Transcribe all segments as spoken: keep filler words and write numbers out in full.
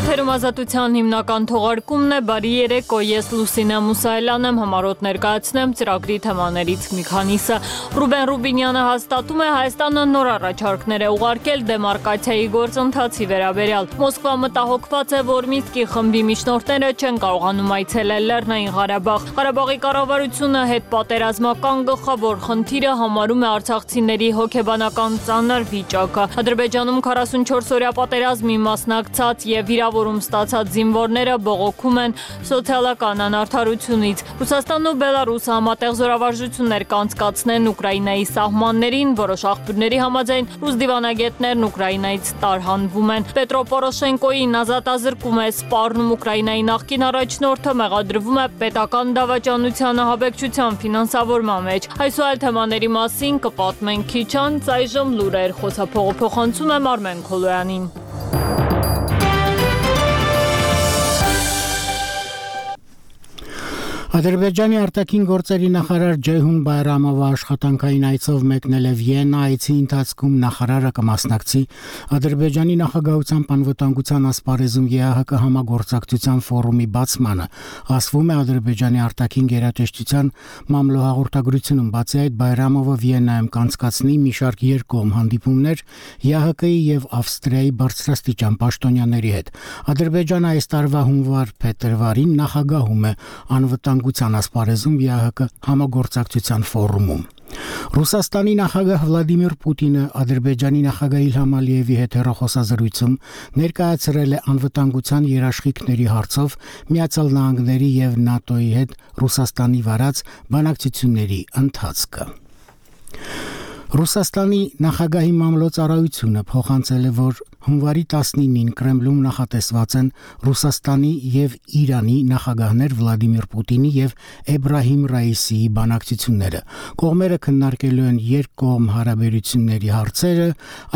Եթերում ազատության հիմնական թողարկումն է, բարի երեկո, ես Լուսինե Մուսայելյան եմ, համառոտ ներկայացնեմ ծրագրի թեմաներից մի քանիսը։ Ռուբեն Ռուբինյանը հաստատում է Հայաստանը նոր առաջարկներ է ուղարկել դեմարկացիայի գործընթացի վերաբերյալ։ Մոսկվա մտահոգված է, որ Մինսկի խմբի միջնորդները չեն կարողանում այցելել Լեռնային Ղարաբաղ։ Ղարաբաղի կառավարությունը հետպատերազմական գլխավոր խնդիրը համարում է արցախցիների հոգեբանական ծանր վիճակը։ Ադրբեջանում քառասունչորս օրյա պատերազմի մասնակցած եւ վիրավորում ստացած զինվորները բողոքում են սոցիալական անարդարությունից։ Ռուսաստանն ու Բելարուսը համատեղ զորավարժություններ կանցկացնեն Ուկրաինայի սահմաններին, որոշ աղբյուրների համաձայն ռուս դիվանագետներն Ուկրաինայից տարհանվում են։ Պետրո Պորոշենկոյին ազատազրկում է սպառնում Ուկրաինայի նախկին առաջնորդը, մեղադրվում է պետական դավաճանության ահաբեկչության ֆինանսավորման մեջ։ Այս ու այլ թեմաների մասին կպատմենք քիչ անց, այժմ լուրեր, խոսափողը փոխանցում եմ Արմեն Քոլոյանին։ Ադրբեջանի արտաքին գործերի նախարար Ջեյհուն Բայրամովը աշխատանքային այցով մեկնել է Վիեննա, այցի ընթացքում նախարարը կմասնակցի Ադրբեջանի նախագահության անվտանգության ասպարեզում ԵԱՀԿ համագործակցության ֆորումի բացմանը, ասվում է Ադրբեջանի արտաքին գերատեսչության մամլոհաղորդագրությունում։ Բացի այդ, Բայրամովը Վիեննայում կանցկացնի մի շարք երկկողմ հանդիպումներ ԵԱՀԿ-ի եւ Ավստրիայի բարձրաստիճան պաշտոնյաների հետ։ Ադրբեջանը այս տարվա հունվար-փետրվարին նախագահում է անվտանգության ասպարեզում ԵԱՀԿ համագործակցության ֆորումում։ Ռուսաստանի նախագահ Վլադիմիր Պուտինը Ադրբեջանի նախագահ Իլհամ Ալիևի հետ հեռախոսազրույցում ներկայացրել է անվտանգության երաշխիքների հարցով Միացյալ Նահանգների եւ ՆԱՏՕ-ի հետ Ռուսաստանի վարած բանակցությունների ընթացքը։ Ռուսաստանի նախագահի մամլոյցարայությունը փոխանցել է, որ հունվարի տասնինին Կրեմլում նախատեսված են Ռուսաստանի եւ Իրանի նախագահներ Վլադիմիր Պուտինի եւ Էբրահիմ Ռայիսիի բանակցությունները։ Կողմերը քննարկելու են երկկողմ հարաբերությունների հարցերը,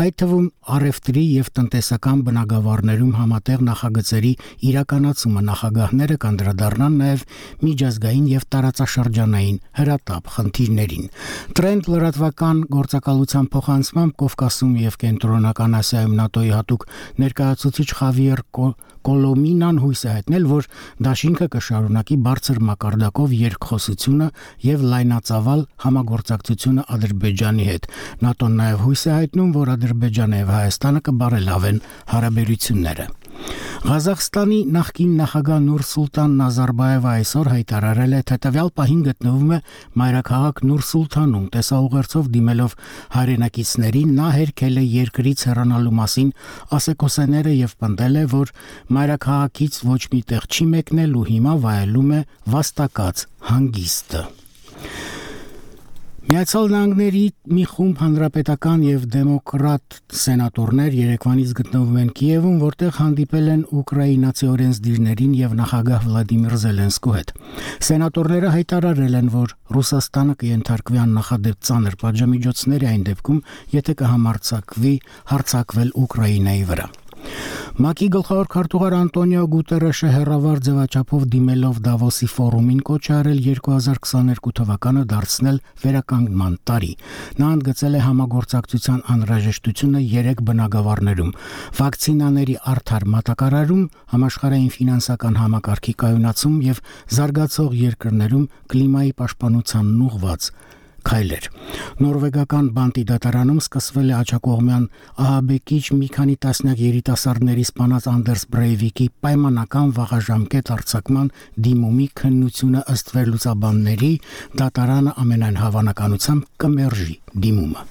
այդ թվում առևտրի եւ տնտեսական բնագավառներում համատեղ նախագծերի իրականացումը։ Նախագահները կանդրադառնան նաեւ միջազգային եւ տարածաշրջանային հրատապ խնդիրներին։ Տրենդ լրատվական գործակալության փոխանցմամբ Կովկասում եւ Կենտրոնական Ասիայում ՆԱՏՕ-ի հատուկ ներկայացուցիչ Խավիեր Կոլոմինան հույս է հայտնել, որ դաշինքը կշարունակի բարձր մակարդակով երկխոսությունը եւ լայնածավալ համագործակցությունը Ադրբեջանի հետ։ ՆԱՏՕ-ն նաեւ հույս է հայտնում, որ Ադրբեջանը եւ Հայաստանը կբարելավեն հարաբերությունները։ Ղազախստանի նախկին նախագահ Նուրսուլտան Նազարբաևը այսօր հայտարարել է, թե տվյալ պահին գտնվում է մայրաքաղաք Նուրսուլթանում։ Տեսաուղերձով դիմելով հայրենակիցներին նա հերքել է երկրից հեռանալու մասին ասեկոսեները եւ պնդել է, որ մայրաքաղաքից ոչ մի տեղ չի մեկնել ու հիմա վայելում է վաստակած հանգիստը։ Միացյալ Նահանգների մի խումբ հանրապետական եւ դեմոկրատ սենատորներ երեկվանից գտնվում են Կիևում, որտեղ հանդիպել են ուկրաինացի օրենսդիրներին եւ նախագահ Վլադիմիր Զելենսկու հետ։ Սենատորները հայտարարել են, որ Ռուսաստանը կենթարկվի աննախադեպ ծանր պատժամիջոցների այն դեպքում, եթե կհամարձակվի հարձակվել Ուկրաինայի վրա։ ՄԱԿ-ի գլխավոր քարտուղար Անտոնիո Գուտերեշը հերավար ձևաչափով դիմելով Դավոսի ֆորումին կոչ է արել երկու հազար քսաներկու թվականը դարձնել վերականգնման տարի։ Նա ընդգծել է համագործակցության անհրաժեշտությունը երեք բնագավառներում՝ վակցինաների արդար մատակարարում, համաշխարհային ֆինանսական համակարգի կայունացում եւ զարգացող երկրներում կլիմայի պաշտպանությանն ուղղված քայլեր։ Նորվեգական Բանտի դատարանում սկսվել է աջակողմյան ահաբեկիչ մի քանի տասնյակ երիտասարդների սպանած Անդերս Բրեյվիկի պայմանական վաղաժամկետ արձակման դիմումի քննությունը ըստ վերլուծաբանների դատարանը ամենայն հավանականությամբ կմերժի դիմումը։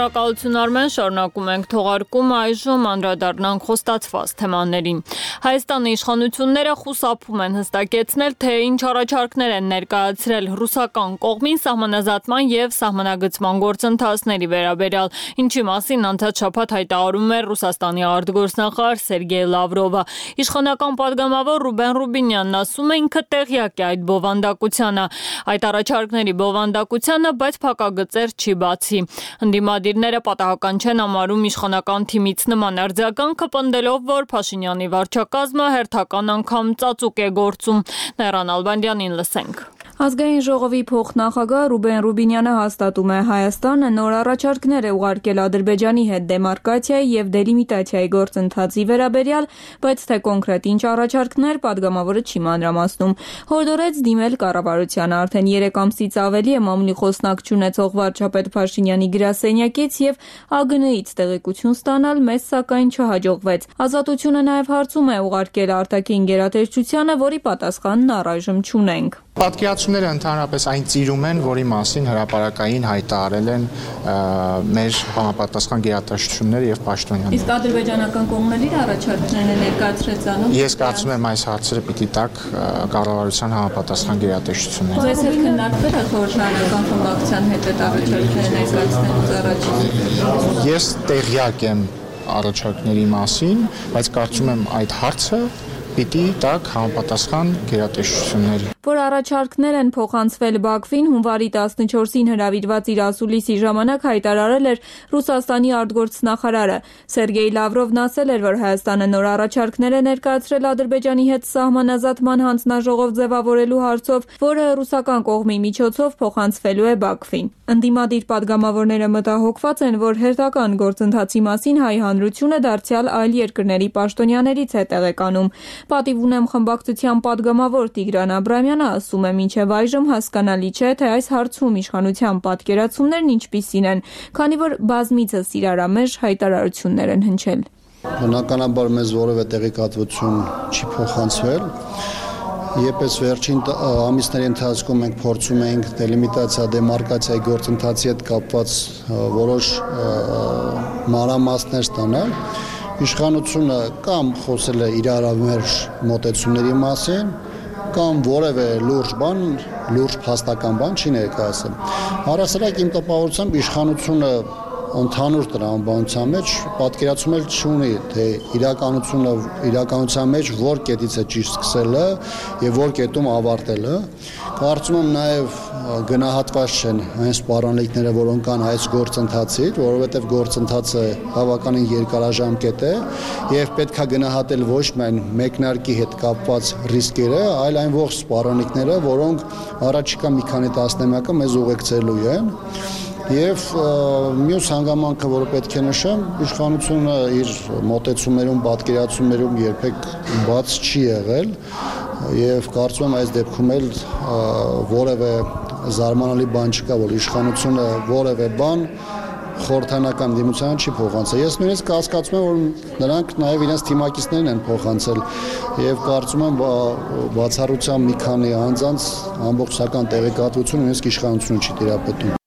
Շնորհակալություն Արմեն, շարունակում ենք թողարկումը, այժմ անդրադառնանք խոստացված թեմաներին։ Հայաստանի իշխանությունները խուսափում են հստակեցնել, թե ինչ առաջարկներ են ներկայացրել ռուսական կողմին սահմանազատման եւ սահմանագծման գործընթացների վերաբերյալ, ինչի մասին անցած շաբաթ հայտարարում էր Ռուսաստանի արտգործնախարար Սերգեյ Լավրովը։ Իշխանական պատգամավոր Ռուբեն Ռուբինյանն ասում է, ինքը տեղյակ է այդ բովանդակությանը, այդ առաջարկների բովանդակությանը, բայց փակագծեր չի բացի։ Ընդդիմադիր ինքնաթիռները պատահական չեն համարում իշխանական թիմից նման արձագանքը, պնդելով, որ Փաշինյանի վարչակազմը հերթական անգամ ծածուկ է գործում։ Նայրան Ալբանդյանին լսենք։ Ազգային ժողովի փոխնախագահ Ռուբեն Ռուբինյանը հաստատում է Հայաստանը նոր առաջարկներ է ուղարկել Ադրբեջանի հետ դեմարկացիայի եւ դելիմիտացիայի գործընթացի վերաբերյալ, բայց թե կոնկրետ ինչ առաջարկներ падգամավորը չի մանրամասնում։ Հորդորեց դիմել կառավարությանը արդեն երեք ամսից ավելի է մամուլի խոսնակ չունեցող վարչապետ Փաշինյանի գրասենյակից եւ ԱԳՆ-ից տեղեկություն ստանալ, մեզ սակայն չհաջողվեց։ Ազատությունը նաեւ հարցում է ուղարկել արտաքին գերատեսչությանը, որի պատասխանն առայժմ չունենք։ Պատկերացումները ընդհանրապես այն ծիրում են, որի մասին հրապարակային հայտարարել են մեր համապատասխան գերատեսչությունները եւ պաշտոնյաները։ Իսկ ադրբեջանական կողմն էլ իր առաջարկներն է ներկայացրեց անում։ Ես կարծում եմ այս հարցերը պիտի տակ կառավարության համապատասխան գերատեսչությունները։ Ձեզ հետ քննարկվել է խորհրդարանական խմբակցության հետ այդ առաջարկները ներկայացնելուց առաջ։ Ես տեղյակ եմ առաջարկների մասին, բայց կարծում եմ այդ հարցը պիտի տակ համապատասխան գերատեսչությունների։ Որ առաջարկներ են փոխանցվել Բաքվին, հունվարի տասնչորսին հրավիրված իր ասուլիսի ժամանակ հայտարարել էր Ռուսաստանի արտգործնախարարը։ Սերգեյ Լավրովն ասել էր, որ Հայաստանը նոր առաջարկներ է ներկայացրել Ադրբեջանի հետ սահմանազատման հանձնաժողով ձևավորելու հարցով, որը ռուսական կողմի միջոցով փոխանցվելու է Բաքվին։ Ընդդիմադիր падգամավորները մտահոգված են, որ հերթական գործընթացի մասին հայ հանրությունը դարձյալ այլ երկրների պաշտոնյաներից է տեղեկանում։ Պատիվ ունեմ խմբակցության падգամավոր Տիգրան Աբրամյանը ասում է, մինչև այժմ հասկանալի չէ, թե այս հարցում իշխանության պատկերացումներն ինչպիսին են, քանի որ բազմիցս իրարամեժ հայտարարություններ են հնչել։ Բնականաբար մեզ որևէ տեղեկատվություն չի փոխանցվել։ Եպես վերջին ամիսների ընթացքում մենք փորձում ենք դելիմիտացիա, դեմարկացիայի գործընթացի հետ կապված որոշ մանրամասներ ստանալ։ Իշխանությունը կամ խոսել է իրարամերժ մոտեցումների մասին, կամ որևէ լուրջ բան, լուրջ փաստական բան չի ներկայացել։ Առասարակ իմ տպավորությամբ իշխանությունը ընդհանուր տրամաբանության մեջ պատկերացումել չունի, թե իրականությունը իրականության մեջ որ կետից է ճիշտ սկսելը եւ որ կետում ավարտելը։ Կարծում եմ նաեւ գնահատված չեն այն սպառնալիքները, որոնք կան այս գործընթացից, որովհետեւ գործընթացը բավականին երկարաժամկետ է եւ պետքա գնահատել ոչ միայն մեկնարկի հետ կապված ռիսկերը, այլ այն ողջ սպառնալիքները, որոնք առաջիկա մի քանի տասնամյակը մեզ ուղեկցելու են։ Եվ մյուս հանգամանքը, որը պետք է նշեմ, իշխանությունը իր մոտեցումներում, պատկերացումներում երբեք բաց չի եղել եւ կարծում եմ այս դեպքում էլ որևէ զարմանալի բան չկա, որ իշխանությունը որևէ բան խորհրդանական դիմությանը չի փոխանցել։ Ես նույնիսկ հասկացում եմ, որ նրանք նաև իրենց թիմակիցներն են փոխանցել եւ կարծում եմ բացառությամբ մի քանի անձանց ամբողջական տեղեկատվություն նույնիսկ իշխանությունը չի տիրապետում։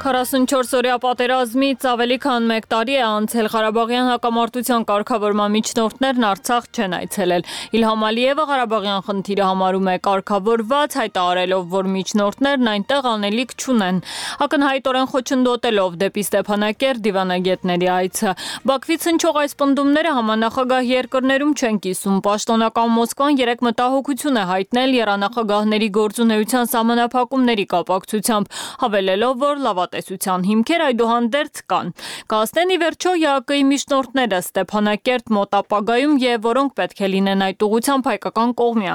քառասունչորս-օրյա պատերազմից ավելի քան մեկ տարի է անցել, Ղարաբաղյան հակամարտության կարգավորման միջնորդներն Արցախ չեն այցելել։ Իլհամ Ալիևը Ղարաբաղյան խնդիրը համարում է կարգավորված, հայտարարելով, որ միջնորդներն այնտեղ անելիք չունեն։ Ակնհայտորեն խոչընդոտելով դեպի Ստեփանակերտ դիվանագետների այցը։ Բաքվից հնչող այս պնդումները համանախագահ երկրներում չեն կիսում։ Պաշտոնական Մոսկվան երեք մտահոգություն է հայտնել եռանախագահների գործունեության սահմանափակումների կապակցությամբ, հավելելով, որ լավատեսության հիմքեր այդուհանդերձ կան։ Կասնեն ի վերջո ԵԱԿ-ի միջնորդները Ստեփանակերտ մոտ ապագայում եւ որոնք պետք է լինեն այդ ուղղությամբ հայկական կողմի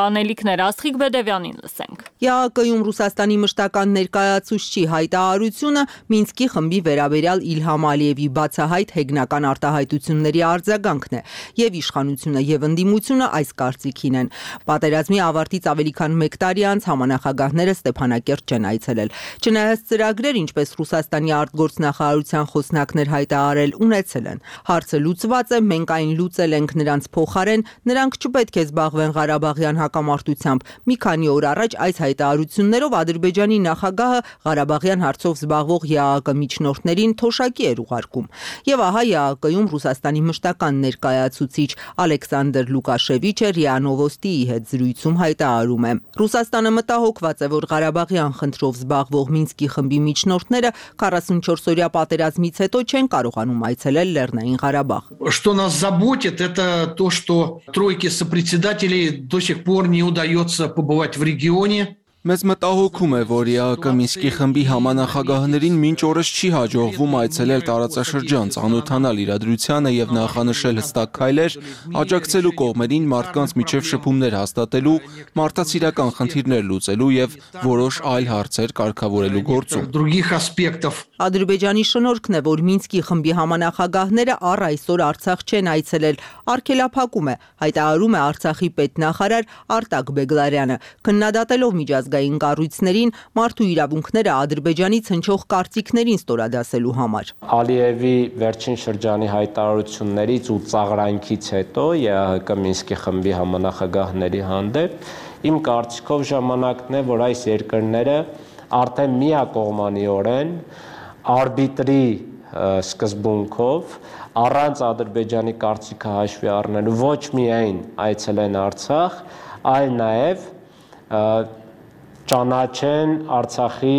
անելիքներ։ Աստղիկ Բեդևյանին լսենք։ ԵԱԿ-ում Ռուսաստանի մշտական ներկայացուցչի հայտարարությունը Մինսկի խմբի վերաբերյալ Իլհամ Ալիևի բացահայտ հեգնական արտահայտությունների արձագանքն է, եւ իշխանությունը եւ ընդդիմությունը այս կարծիքին են։ Պատերազմի ավարտից ավելի քան մեկ տարի անց համանախագահները Ստեփանակերտ չեն այցելել։ Չնայած ծրագրեր, ինչպես Ռուսաստանի արտգործնախարարության խոսնակներ հայտարարել, ունեցել են։ Հարցը լուծված է, մենք այն լուծել ենք նրանց փոխարեն, նրանք չպետք է զբաղվեն Ղարաբաղյան հակամարտությամբ։ Մի քանի օր առաջ այս հայ հայտարարություններով Ադրբեջանի նախագահը Ղարաբաղյան հարցով զբաղվող ԵԱՀԿ միջնորդներին թոշակի էր ուղարկում։ Եվ ահա ԵԱՀԿ-ում Ռուսաստանի մշտական ներկայացուցիչ Ալեքսանդր Լուկաշևիչը ՌԻԱ Նովոստիի հետ զրույցում հայտարարում է. Ռուսաստանը մտահոգված է, որ Ղարաբաղյան խնդրով զբաղվող Մինսկի խմբի միջնորդները քառասունչորսօրյա պատերազմից հետո չեն կարողանում այցելել Լեռնային Ղարաբաղ։ Что нас заботит, это то, что тройке сопредседателей до сих пор не удается побывать в регионе. Մեզ մտահոգում է, որ ԵԱՀԿ Մինսկի խմբի համանախագահներին մինչ օրս չի հաջողվում այցելել տարածաշրջան, ծանոթանալ իրադրությանը եւ նախանշել հստակ քայլեր, աջակցելու կողմերին մարդկանց միջև շփումներ հաստատելու, մարդացիրական խնդիրներ լուծելու եւ որոշ այլ հարցեր կարգավորելու գործում։ Других аспектов. Ադրբեջանի շնորհքն է, որ Մինսկի խմբի համանախագահները առ այսօր Արցախ չեն այցելել, արգելափակում է, հայտարարում է Արցախի պետնախարար Արտակ Բեգլարյանը, քննադատելով միջազգային կառույցներին մարդու իրավունքները Ադրբեջանից հնչող կարծիքներին ստորադասելու համար։ Ալիևի վերջին շրջանի հայտարարություններից ու ծաղրանքից հետո ԵԱՀԿ Մինսկի խմբի համանախագահների հանդեպ իմ կարծիքով ժամանակն է, որ այս երկրները արդեն միակողմանիորեն արբիտրի սկզբունքով առանց Ադրբեջանի կարծիքը հաշվի առնելու ոչ միայն այցելեն Արցախ, այլ նաև ճանաչեն Արցախի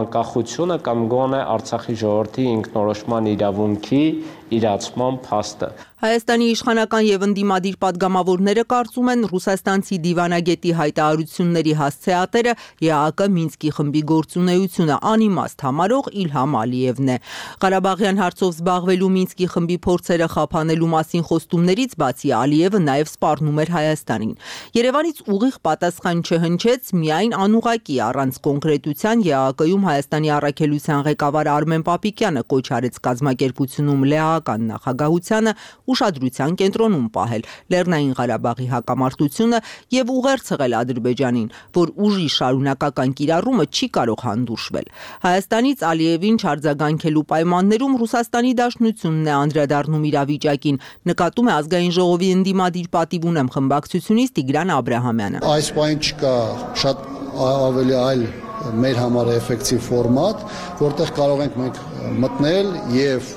անկախությունը կամ գոնե Արցախի ժողովրդի ինքնորոշման իրավունքի իրացման փաստը։ Հայաստանի իշխանական եւ ընդդիմադիր падգամավորները կարծում են ռուսաստանցի դիվանագետի հայտարարությունների հասցեատերը ԵԱՀԿ Մինսկի խմբի գործունեությունը անիմաստ համարող Իլհամ Ալիևն է։ Ղարաբաղյան հարցով զբաղվելու Մինսկի խմբի փորձերը խափանելու մասին խոստումներից բացի Ալիևը նաեւ սպառնում էր Հայաստանին։ Երևանից ուղիղ պատասխան չհնչեց միայն անուղակի առանց կոնկրետության ԵԱՀԿ-ում Հայաստանի առաքելության ղեկավար Արմեն Պապիկյանը կոչ արեց կազմակերպությունում լեհական նախագահությանը ուշադրության կենտրոնում պահել Լեռնային Ղարաբաղի հակամարտությունը եւ ուղերձել Ադրբեջանին, որ ուժի շարունակական կիրառումը չի կարող հանդուրժվել։ Հայաստանից Ալիևին չարձագանքելու պայմաններում Ռուսաստանի Դաշնությունն է անդրադառնում իրավիճակին, նկատում է ազգային ժողովի ընդդիմադիր պատիվ ունեմ խմբակցությունից Տիգրան Աբրահամյանը։ Այս պայն չկա շատ ավելի այլ մեր համար էֆեկտիվ ֆորմատ, որտեղ կարող ենք մենք մտնել եւ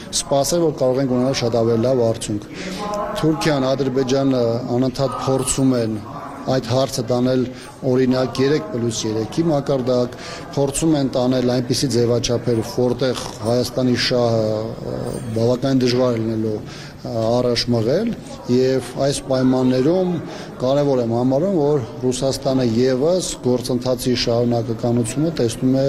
սպասել, որ կարող ենք ունենալ շատ ավելի լավ արդյունք։ Թուրքիան, Ադրբեջանը անընդհատ փորձում են այդ հարցը տանել օրինակ երեք պլյուս երեքի մակարդակ, փորձում են տանել այնպիսի ձևաչափեր, որտեղ Հայաստանի շահը բավական դժվար է լինելու առաջ մղել եւ այս պայմաններում կարեւոր եմ համարում, որ Ռուսաստանը եւս գործընթացի շարունակականությունը տեսնում է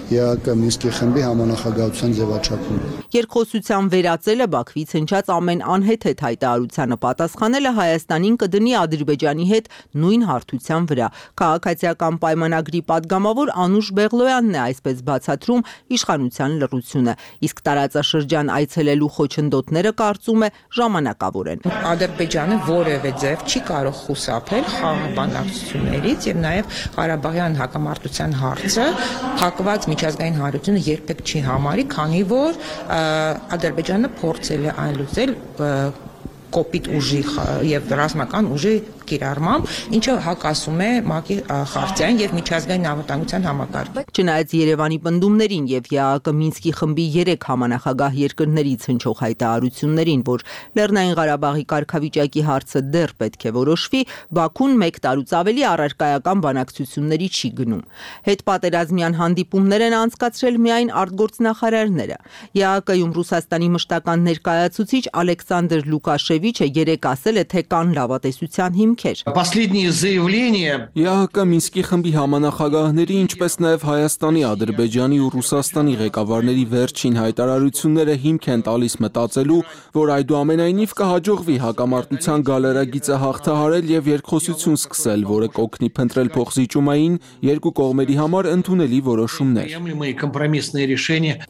ԵԱՀԿ Մինսկի խմբի համանախագահության ձևաչափում։ Երկխոսության վերածելը Բաքվից հնչած ամեն անհեթեթ հայտարարությանը պատասխանելը Հայաստանին կդնի Ադրբեջանի հետ նույն հարթության վրա։ Քաղաքացիական պայմանագրի падգամավոր Անուշ Բեղլոյանն է այսպես բացատրում իշխանության լռությունը, իսկ տարածաշրջան այցելելու խոչընդոտները կարծում է ժամանակավոր են։ Ադրբեջանը որևէ ձև չի կարող խուսափել խաղաղ բանակցություններից եւ նաեւ Ղարաբաղյան հակամարտության հարցը փակված միջազգային հանրությունը երբեք չի համարի, քանի որ Ադրբեջանը փորձել է այն լուծել կոպիտ ուժի եւ ռազմական ուժի կիրառմամբ, ինչը հակասում է ՄԱԿ-ի խարտիային եւ միջազգային անվտանգության համակարգին։ Չնայած Երևանի պնդումներին եւ ԵԱՀԿ Մինսկի խմբի երեք համանախագահ երկրներից հնչող հայտարարություններին, որ Լեռնային Ղարաբաղի կարգավիճակի հարցը դեռ պետք է որոշվի, Բաքուն մեկ տարուց ավելի առարկայական բանակցությունների չի գնում։ Հետպատերազմյան հանդիպումներ են անցկացրել միայն արտգործնախարարները։ ԵԱՀԿ-ում Ռուսաստանի մշտական ներկայացուցիչ Ալեքսանդր Լուկաշևիչը երեկ ասել է, թե կան լավատեսության հիմք Последние заявления ԵԱՀԿ Մինսկի խմբի համանախագահների, ինչպես նաև Հայաստանի, Ադրբեջանի ու Ռուսաստանի ղեկավարների վերջին հայտարարությունները հիմք են տալիս մտածելու, որ այդուամենայնիվ կհաջողվի հակամարտության գալարագիծը հաղթահարել եւ երկխոսություն սկսել, որը կօգնի փնտրել փոխզիջումային երկու կողմերի համար ընդունելի որոշումներ։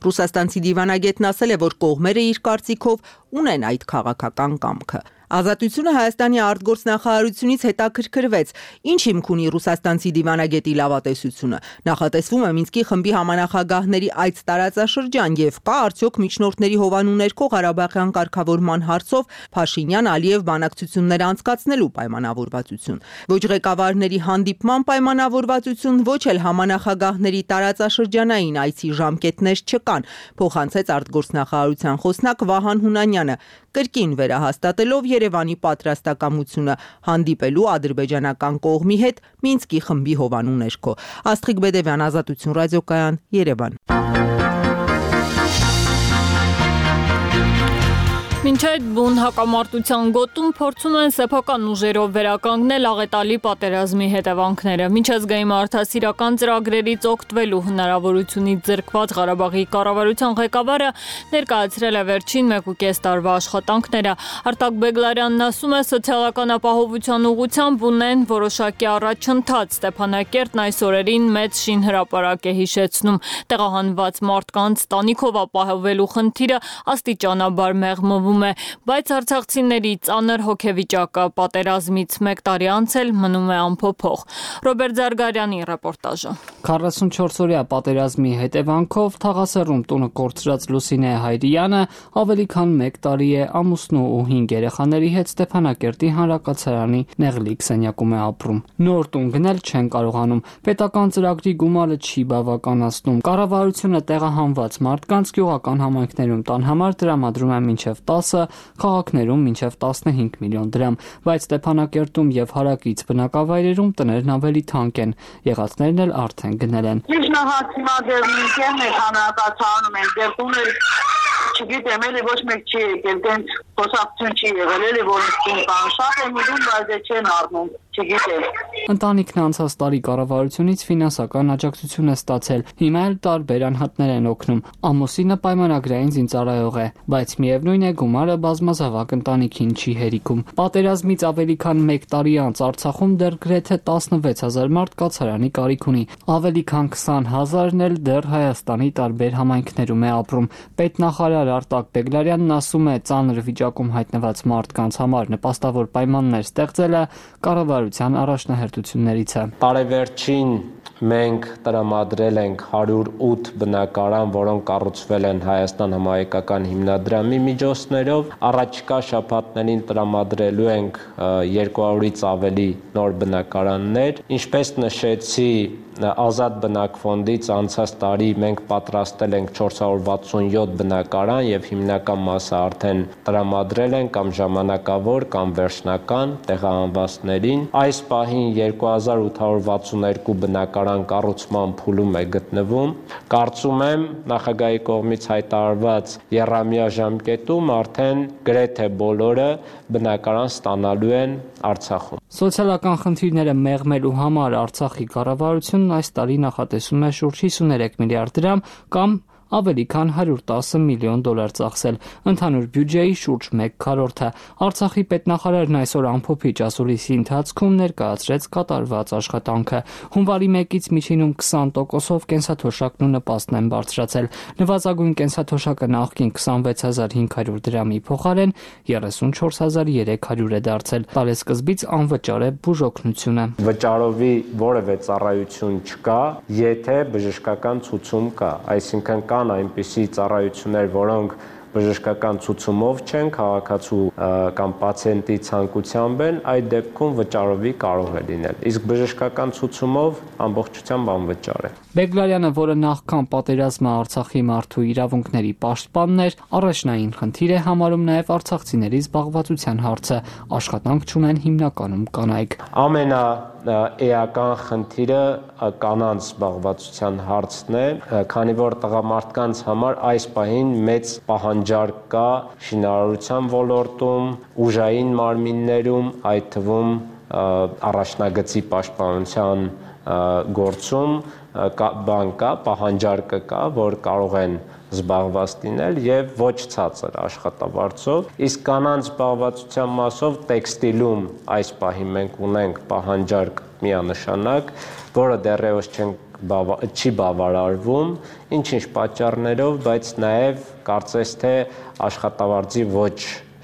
Ռուսաստանցի դիվանագետն ասել է, որ կողմերը իր կարծիքով ունեն այդ քաղաքական կամքը։ Ազատությունը Հայաստանի արտգործնախարարությունից հետաքրքրվեց. ինչ հիմք ունի ռուսաստանցի դիվանագետի լավատեսությունը։ Նախատեսվում է Մինսկի խմբի համանախագահների այց տարածաշրջան եւ կա արդյոք միջնորդների հովանու ներքո Ղարաբաղյան կարգավորման հարցով Փաշինյան-Ալիև բանակցություններ անցկացնելու պայմանավորվածություն։ Ոչ ղեկավարների հանդիպման պայմանավորվածություն, ոչ էլ համանախագահների տարածաշրջանային այցի ժամկետներ չկան, փոխանցեց արտգործնախարարության խոսնակ Վահան Հունանյանը, կրկին վերահաստատելով Երևանի պատրաստակամությունը հանդիպելու ադրբեջանական կողմի հետ Մինսկի խմբի հովանու ներքո։ Աստղիկ Բեդևյան, Ազատություն ռադիոկայան, Երևան։ Մինչ այդ բուն հակամարտության գոտում փորձում են սեփական ուժերով վերականգնել աղետալի պատերազմի հետևանքները։ Միջազգային մարդասիրական ծրագրերից օգտվելու հնարավորությունից ձեռքված Ղարաբաղի կառավարության ղեկավարը ներկայացրել է վերջին մեկ ու կես տարվա աշխատանքները։ Արտակ Բեգլարյանն ասում է, սոցիալական ապահովության ուղղությամբ ունեն որոշակի առաջընթաց։ Ստեփանակերտն այս օրերին մեծ շինհրապարակ է հիշեցնում։ Տեղահանված մարդկանց տանիքով ապահովելու խնդիրը աստիճանաբար մեղմվում է, բայց արցախցիների ծանր հոգեվիճակը պատերազմից մեկ տարի անց էլ մնում է անփոփոխ։ Ռոբերտ Զարգարյանի ռեպորտաժը։ քառասունչորս-օրյա պատերազմի հետևանքով Թաղասերում տունը կորցրած Լուսինե Հայրյանը ավելի քան մեկ տարի է ամուսնու ու հինգ երեխաների հետ Ստեփանակերտի հանրակացարանի նեղլիկ սենյակում է ապրում։ Նոր տուն գնել չեն կարողանում, պետական ծրագրի գումարը չի բավականացնում։ Կառավարությունը տեղահանված մարդկանց գյուղական համայնքներում տան համար տրամադրում է մինչև տասը, քաղաքներում մինչև տասնհինգ միլիոն դրամ, բայց Ստեփանակերտում եւ հարակից բնակավայրերում տներն ավելի թանկ են, եղածներն էլ արդեն գնել են։ Միջնահաց հիմա դեռ ինքն է հանրակացարանում են, դեռ տուներ չգիտեմ, էլի ոչ մեկ չի եկել, դենց խոսակցություն չի եղել, էլի որ տուն կան, շատ եմ ուզում, բայց դե չեն առնում, չգիտեմ։ Ընտանիքն անցած տարի կառավարությունից ֆինանսական աջակցություն է ստացել, հիմա էլ տարբեր անհատներ են օգնում։ Ամուսինը պայմանագրային զինծառայող է, բայց միևնույն է գումարը բազմազավակ ընտանիքին չի հերիքում։ Պատերազմից ավելի քան մեկ տարի անց Արցախում դեռ գրեթե տասնվեց հազար մարդ կացարանի կարիք ունի, ավելի քան քսան հազարն էլ դեռ Հայաստանի տարբեր համայնքներում է ապրում։ Պետնախարար Արտակ Բեգլարյանն ասում է, ծանր վիճակում հայտնված մարդկանց համար նպաստավոր պայմաններ ստեղծելը կառավարության առաջնահերթություններից է։ Տարեվերջին մենք տրամադրել ենք հարյուր ութ բնակարան, որոնք կառուցվել են Հայաստան համահայկական հիմնադրամի միջոցներով։ Առաջիկա շաբաթներին տրամադրելու ենք երկու հարյուրից ավելի նոր բնակարաններ։ Ինչպես նշեցի, Ազատ բնակֆոնդից անցած տարի մենք պատրաստել ենք չորս հարյուր վաթսունյոթ բնակարան եւ հիմնական մասը արդեն տրամադրել են կամ ժամանակավոր կամ վերջնական տեղահանվածներին։ Այս պահին երկու հազար ութ հարյուր վաթսուններկու բնակարան կառուցման փուլում է գտնվում։ Կարծում եմ նախագահի կողմից հայտարարված եռամյա ժամկետում արդեն գրեթե բոլորը բնակարան ստանալու են Արցախում։ Սոցիալական խնդիրները մեղմելու համար Արցախի կառավարությունն այս տարի նախատեսում է շուրջ հիսուներեք միլիարդ դրամ կամ ավելի քան հարյուր տասը միլիոն դոլար ծախսել, ընդհանուր բյուջեի շուրջ մեկ քառորդը։ Արցախի պետնախարարն այսօր ամփոփիչ ասուլիսի ընթացքում ներկայացրեց կատարված աշխատանքը։ Հունվարի մեկից միջինում քսան տոկոսով կենսաթոշակն ու նպաստն են բարձրացել։ Նվազագույն կենսաթոշակը նախկին քսանվեց հազար հինգ հարյուր դրամի փոխարեն երեսունչորս հազար երեք հարյուր է դարձել։ Տարեսկզբից անվճար է բուժօգնությունը։ Վճարովի որևէ ծառայություն չկա, եթե բժշկական ցուցում կա, այսինքն կան այնպիսի ծառայություններ, որոնք բժշկական ցուցումով չեն, քաղաքացու կամ պացիենտի ցանկությամբ են, այդ դեպքում վճարովի կարող է լինել։ Իսկ բժշկական ցուցումով ամբողջությամբ անվճար է։ Բեգլարյանը, որը նախքան պատերազմը Արցախի մարդու իրավունքների պաշտպանն էր, առաջնային խնդիր է համարում նաև արցախցիների զբաղվածության հարցը։ Աշխատանք չունեն հիմնականում կանայք։ Ամենա էական խնդիրը կանանց զբաղվածության հարցն է, քանի որ տղամարդկանց համար այս պահին մեծ պահանջարկ կա շինարարության ոլորտում, ուժային մարմիններում, այդ թվում առաջնագծի պաշտպանության գործում բան կա, պահանջարկը կա, որ կարող են զբաղված լինել եւ ոչ ցածր աշխատավարձով, իսկ կանանց զբաղվածության մասով տեքստիլում այս պահին մենք ունենք պահանջարկ միանշանակ, որը դեռևս չենք չի բավարարվում, ինչ-ինչ պատճառներով, բայց նաեւ կարծես թե աշխատավարձի ոչ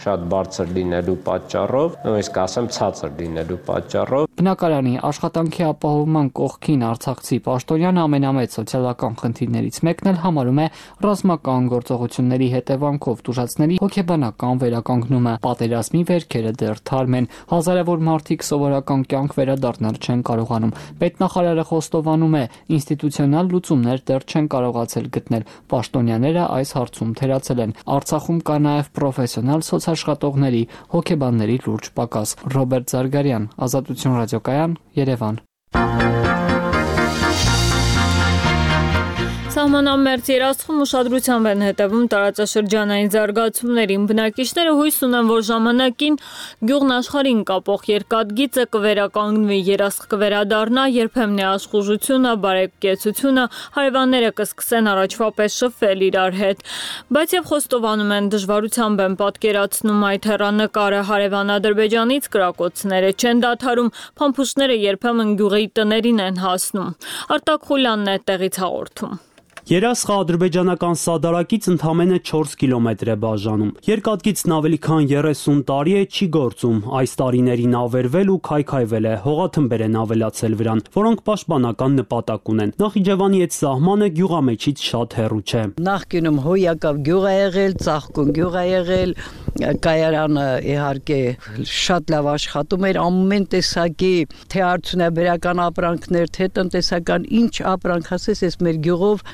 շատ բարձր լինելու պատճառով, նույնիսկ ասեմ ցածր լինելու պատճառով։ Բնակարանի աշխատանքի ապահովման կողքին արցախցի պաշտոնյան ամենամեծ սոցիալական խնդիրներից մեկն էլ համարում է ռազմական գործողությունների հետևանքով տուժածների հոգեբանական վերականգնումը։ Պատերազմի վերքերը դեռ թարմ են, հազարավոր մարդիկ սովորական կյանք վերադառնալ չեն կարողանում։ Պետնախարարը խոստովանում է, ինստիտուցիոնալ լուծումներ դեռ չեն կարողացել գտնել։ Պաշտոնյաները այս հարցում թերացել են։ Արցախում կա նաև պրոֆեսիոնալ սոցաշխատողների, հոգեբանների լուրջ պակաս։ Ռոբերտ Զարգարյան, Ազատություն ռադիոկայան, Երևան։ Սահմանամերձ երաշխում ուշադրությամբ են հետևում տարածաշրջանային զարգացումներին։ Բնակիչները հույս ունեն, որ ժամանակին գյուղն աշխարհին կապող երկաթգիծը կվերականգնվի, երաշխ կվերադառնա, երբեմն աշխուժությունը, բարեկեցությունը, հարևանները կսկսեն առաջվա պես շփվել իրար հետ։ Բայց եւ խոստովանում են, դժվարությամբ են պատկերացնում այդ հեռանկարը, հարևան Ադրբեջանից կրակոցները չեն դադարում, փամփուշտները երբեմն գյուղի տներին են հասնում։ Արտակ Խուլյանն է տեղից հաղորդում։ Երասխը ադրբեջանական սադարակից ընդամենը չորս կիլոմետր է բաժանում։ Երկաթգիծն ավելի քան երեսուն տարի է չի գործում, այս տարիներին ավերվել ու քայքայվել է, հողաթմբեր են ավելացել վրան, որոնք պաշտպանական նպատակ ունեն։ Նախիջևանի այդ սահմանը գյուղամեջից շատ հեռու չէ։ Նախկինում Հոյակավ գյուղ է եղել, Ծաղկուն գյուղ է եղել, կայարանը իհարկե շատ լավ աշխատում էր, ամեն տեսակի թե արդյունաբերական ապրանքներ, թե տնտեսական ինչ ապրանք ասես, այս մեր գյուղով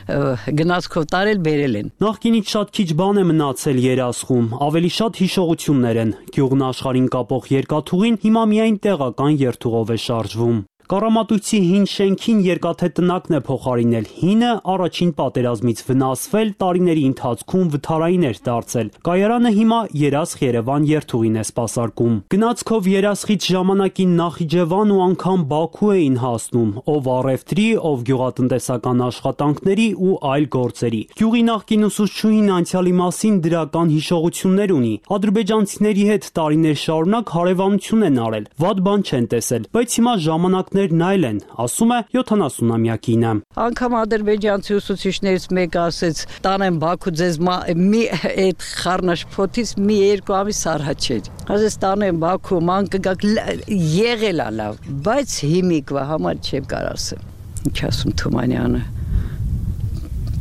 գնացքով տարել բերել են։ Նախկինից շատ քիչ բան է մնացել երասխում, ավելի շատ հիշողություններ են։ Գյուղն աշխարհին կապող երկաթուղին հիմա միայն տեղական երթուղով է շարժվում։ Կարամատույցի հին շենքին երկաթե տնակն է փոխարինել, հինը առաջին պատերազմից վնասվել, տարիների ընթացքում վթարային էր դարձել։ Կայարանը հիմա Երասխ-Երևան երթուղին է սպասարկում։ Գնացքով Երասխից ժամանակին Նախիջևան ու անգամ Բաքու էին հասնում, ով առևտրի, ով գյուղատնտեսական աշխատանքների ու այլ գործերի։ Գյուղի նախկին ուսուցչուհին անցյալի մասին դրական հիշողություններ ունի։ Ադրբեջանցիների հետ տարիներ շարունակ հարևանություն են արել, վատ բան չեն տեսել, բայց հիմա ժամանակներն այլ են, ասում է յոթանասունամյակինը։ Անգամ ադրբեջանցի ուսուցիչներից մեկը ասեց, տանեմ Բաքու ձեզ մի այդ խառնաշփոթից մի երկու ամիս առաջ էր։ Ասես տանեմ Բաքու, ման կգաք եղել է լավ, բայց հիմիկվա համար չեմ կարող ասեմ։ Ինչ ասում Թումանյանը։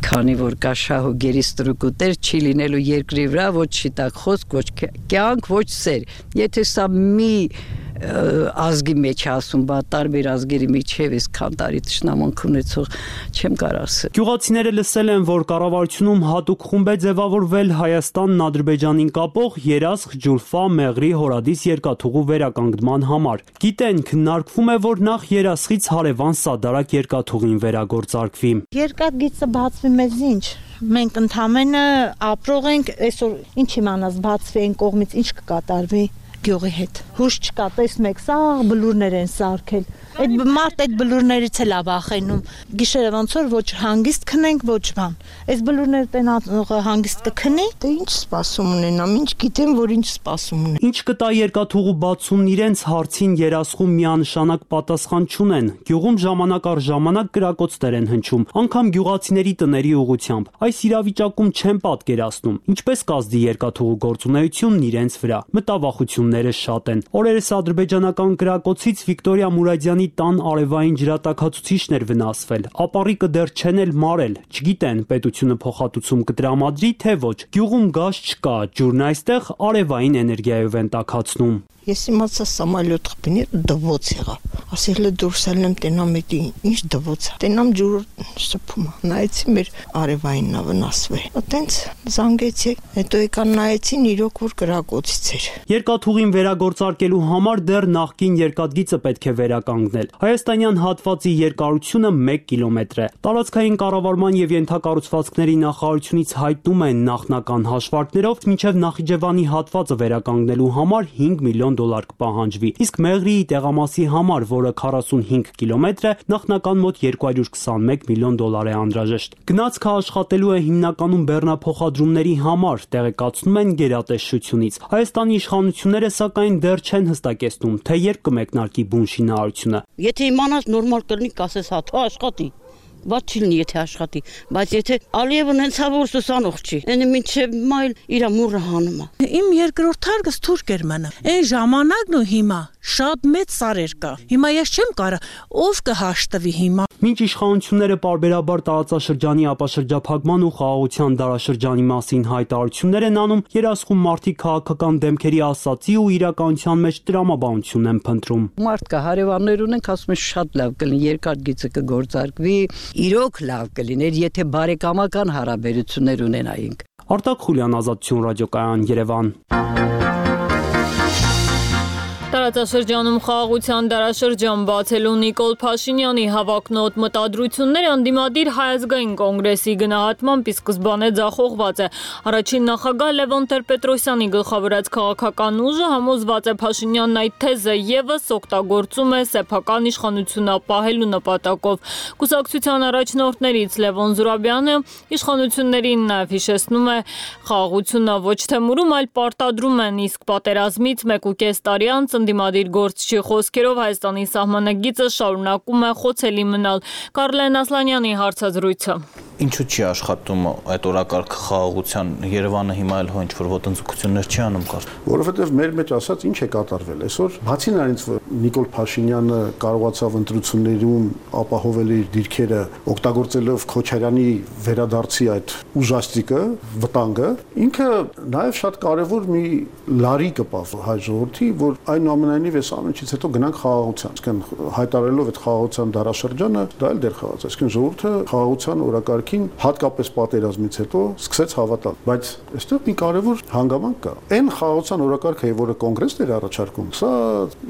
Քանի որ կա շահ ու գերիստրուկուտեր չի լինելու երկրի վրա ոչ շիտակ խոսք, ոչ կյանք, ոչ սեր։ Եթե սա մի ազգի մեջ ասում, բա տարբեր ազգերի միջև էս քան տարի ճշնամանք ունեցող չեմ կարող ասել։ Գյուղացիները լսել են, որ կառավարությունում հատուկ խումբ է ձևավորվել Հայաստանն Ադրբեջանին կապող Երասխ, Ջուլֆա, Մեղրի, Հորադիս երկաթուղու վերականգնման համար։ Գիտեն, քննարկվում է, որ նախ Երասխից հարևան Սադարակ երկաթուղին վերագործարկվի։ Երկաթգիծը բացվի մեզ ինչ։ Մենք ընդամենը ապրող ենք, այսօր ինչ իմանաս բացվի այն կողմից ինչ կկատարվի գյուղի հետ։ Հուշ չկա, տեսնում եք, սա բլուրներ են սարքել։ Այդ մարդ այդ բլուրներից էլ է վախենում։ Գիշերը ոնց որ ոչ հանգիստ քնենք, ոչ բան։ Այս բլուրները տենողը հանգիստ կքնի, դե ինչ սպասում ունենամ, ինչ գիտեմ, որ ինչ սպասում ունենամ։ Ինչ կտա երկաթուղու բացումն իրենց հարցին Երասխում միանշանակ պատասխան չունեն։ Գյուղում ժամանակ առ ժամանակ կրակոցներ են հնչում, անգամ գյուղացիների տների ուղությամբ։ Այս իրավիճակում չեն պատկերացնում, ինչպես կազդի երկաթուղու գործունեությունն իրենց վրա։ Մտավախությունները շատ են։ Օրերս ադրբեջանական կրակոցից Վիկտորիա Մուրադյանի տան արևային ջրատաքացուցիչն էր վնասվել, ապառիկը դեռ չեն էլ մարել, չգիտեն պետությունը փոխհատուցում կտրամադրի, թե ոչ։ Գյուղում գազ չկա, ջուրն այստեղ արևային էներգիայով են տաքացնում։ Ես իմացա սամալյոտ խփին դվոց եղա։ Ասել է դուրս ելնեմ տենամ էդի ինչ դվոց։ Տենամ ջուրը շփում է։ Նայեցի մեր արևայինն է վնասվել։ Այտենց զանգեցի, հետո եկան նայեցին իրոք որ կրակոցից էր։ Երկաթուղին վերագործարկելու համար դեռ նախկին երկաթգիծը պետք է վերականգնել։ Հայաստանյան հատվածի երկարությունը մեկ կիլոմետր է։ Տարածքային կառավարման եւ ենթակառուցվածքների նախարարությունից հայտնում են նախնական հաշվարկներով մինչեւ Նախիջևանի հատվածը վերականգնելու համար հինգ միլիոն դոլար կպահանջվի, իսկ Մեղրիի տեղամասի համար, որը քառասունհինգ կիլոմետր է, նախնական մոտ երկու հարյուր քսանմեկ միլիոն դոլար է անհրաժեշտ։ Գնացքը աշխատելու է հիմնականում բեռնափոխադրումների համար, տեղեկացնում են գերատեսչությունից։ Հայաստանի իշխանությունները սակայն դեռ չեն հստակեցնում, թե երբ կմեկնարկի բուն շինարարությունը։ Եթե իմանաս նորմալ կլինի, կասես հա, թող աշխատի։ Բաց չի լինի, եթե աշխատի, բայց եթե Ալիևն հենց հավոր սուսանող չի, այնը մինչև մայլ իր մուրը հանում է։ Իմ երկրորդ հարգս թուրք էր մնա։ Այն ժամանակն ու հիմա շատ մեծ սարեր կա։ Հիմա ես չեմ կարա, ով կհաշտվի հիմա։ Մինչ իշխանությունները պարբերաբար տարածաշրջանի ապաշրջափակման ու խաղաղության դարաշրջանի մասին հայտարարություններ են անում, երասխում մարդիկ քաղաքական դեմքերի ասացի ու իրականության մեջ տրամաբանություն են փնտրում։ Մարդ կա, հարևաններ ունենք, ասում են շատ լավ կլինի, երկար գիծը կգործարկվի, իրոք լավ կլիներ, եթե բարեկամական հարաբերություններ ունենայինք։ Արտակ Խուլյան, Ազատություն ռադիոկայան, Երևան։ Տարածաշրջանում խաղաղության դարաշրջան բացելու Նիկոլ Փաշինյանի հավակնոտ մտադրությունները ընդդիմադիր Հայ ազգային կոնգրեսի գնահատմամբ ի սկզբանե ձախողված է։ Առաջին նախագահ Լևոն Տեր-Պետրոսյանի գլխավորած քաղաքական ուժը համոզված է Փաշինյանն այդ թեզը ևս օգտագործում է սեփական իշխանություն ապահելու նպատակով։ Կուսակցության առաջնորդներից Լևոն Զուրաբյանը իշխանություններին նաև հիշեցնում է խաղաղությունը ոչ թե մուրում, այլ պարտադրում են, իսկ պատերազմից մեկ ու կես տարի անց ընդդիմադիր գործչի խոսքերով Հայաստանի սահմանագիծը շարունակում է խոցելի մնալ։ Կարլեն Ասլանյանի հարցազրույցը։ Ինչու չի աշխատում այդ օրակարգ խաղաղության Երևանը հիմա էլ հո ինչ-որ ոտնձգություններ չի անում կար։ Որովհետև մեր մեջ ասած ինչ է կատարվել այսօր, բացի նրանից, որ Նիկոլ Փաշինյանը կարողացավ ընտրություններում ապահովել իր դիրքերը, օգտագործելով Քոչարյանի վերադարձի այդ ուժաստիկը, վտանգը, ինքը նաև շատ կարևոր մի լարի կպավ հայ ժողովրդի, որ այնուամենայնիվ այս ամենից հետո գնանք խաղաղության, այսինքն հայտարարելով այդ խաղաղության դարաշրջանը, դա էլ դեռ խաղաց, այսինքն ժողովուրդը խաղաղության օրակարգ հատկապես պատերազմից հետո սկսեց հավատալ, բայց այստեղ մի կարևոր հանգամանք կա։ Այն խաղաղության օրակարգը, որը կոնգրեսն էր առաջարկում, սա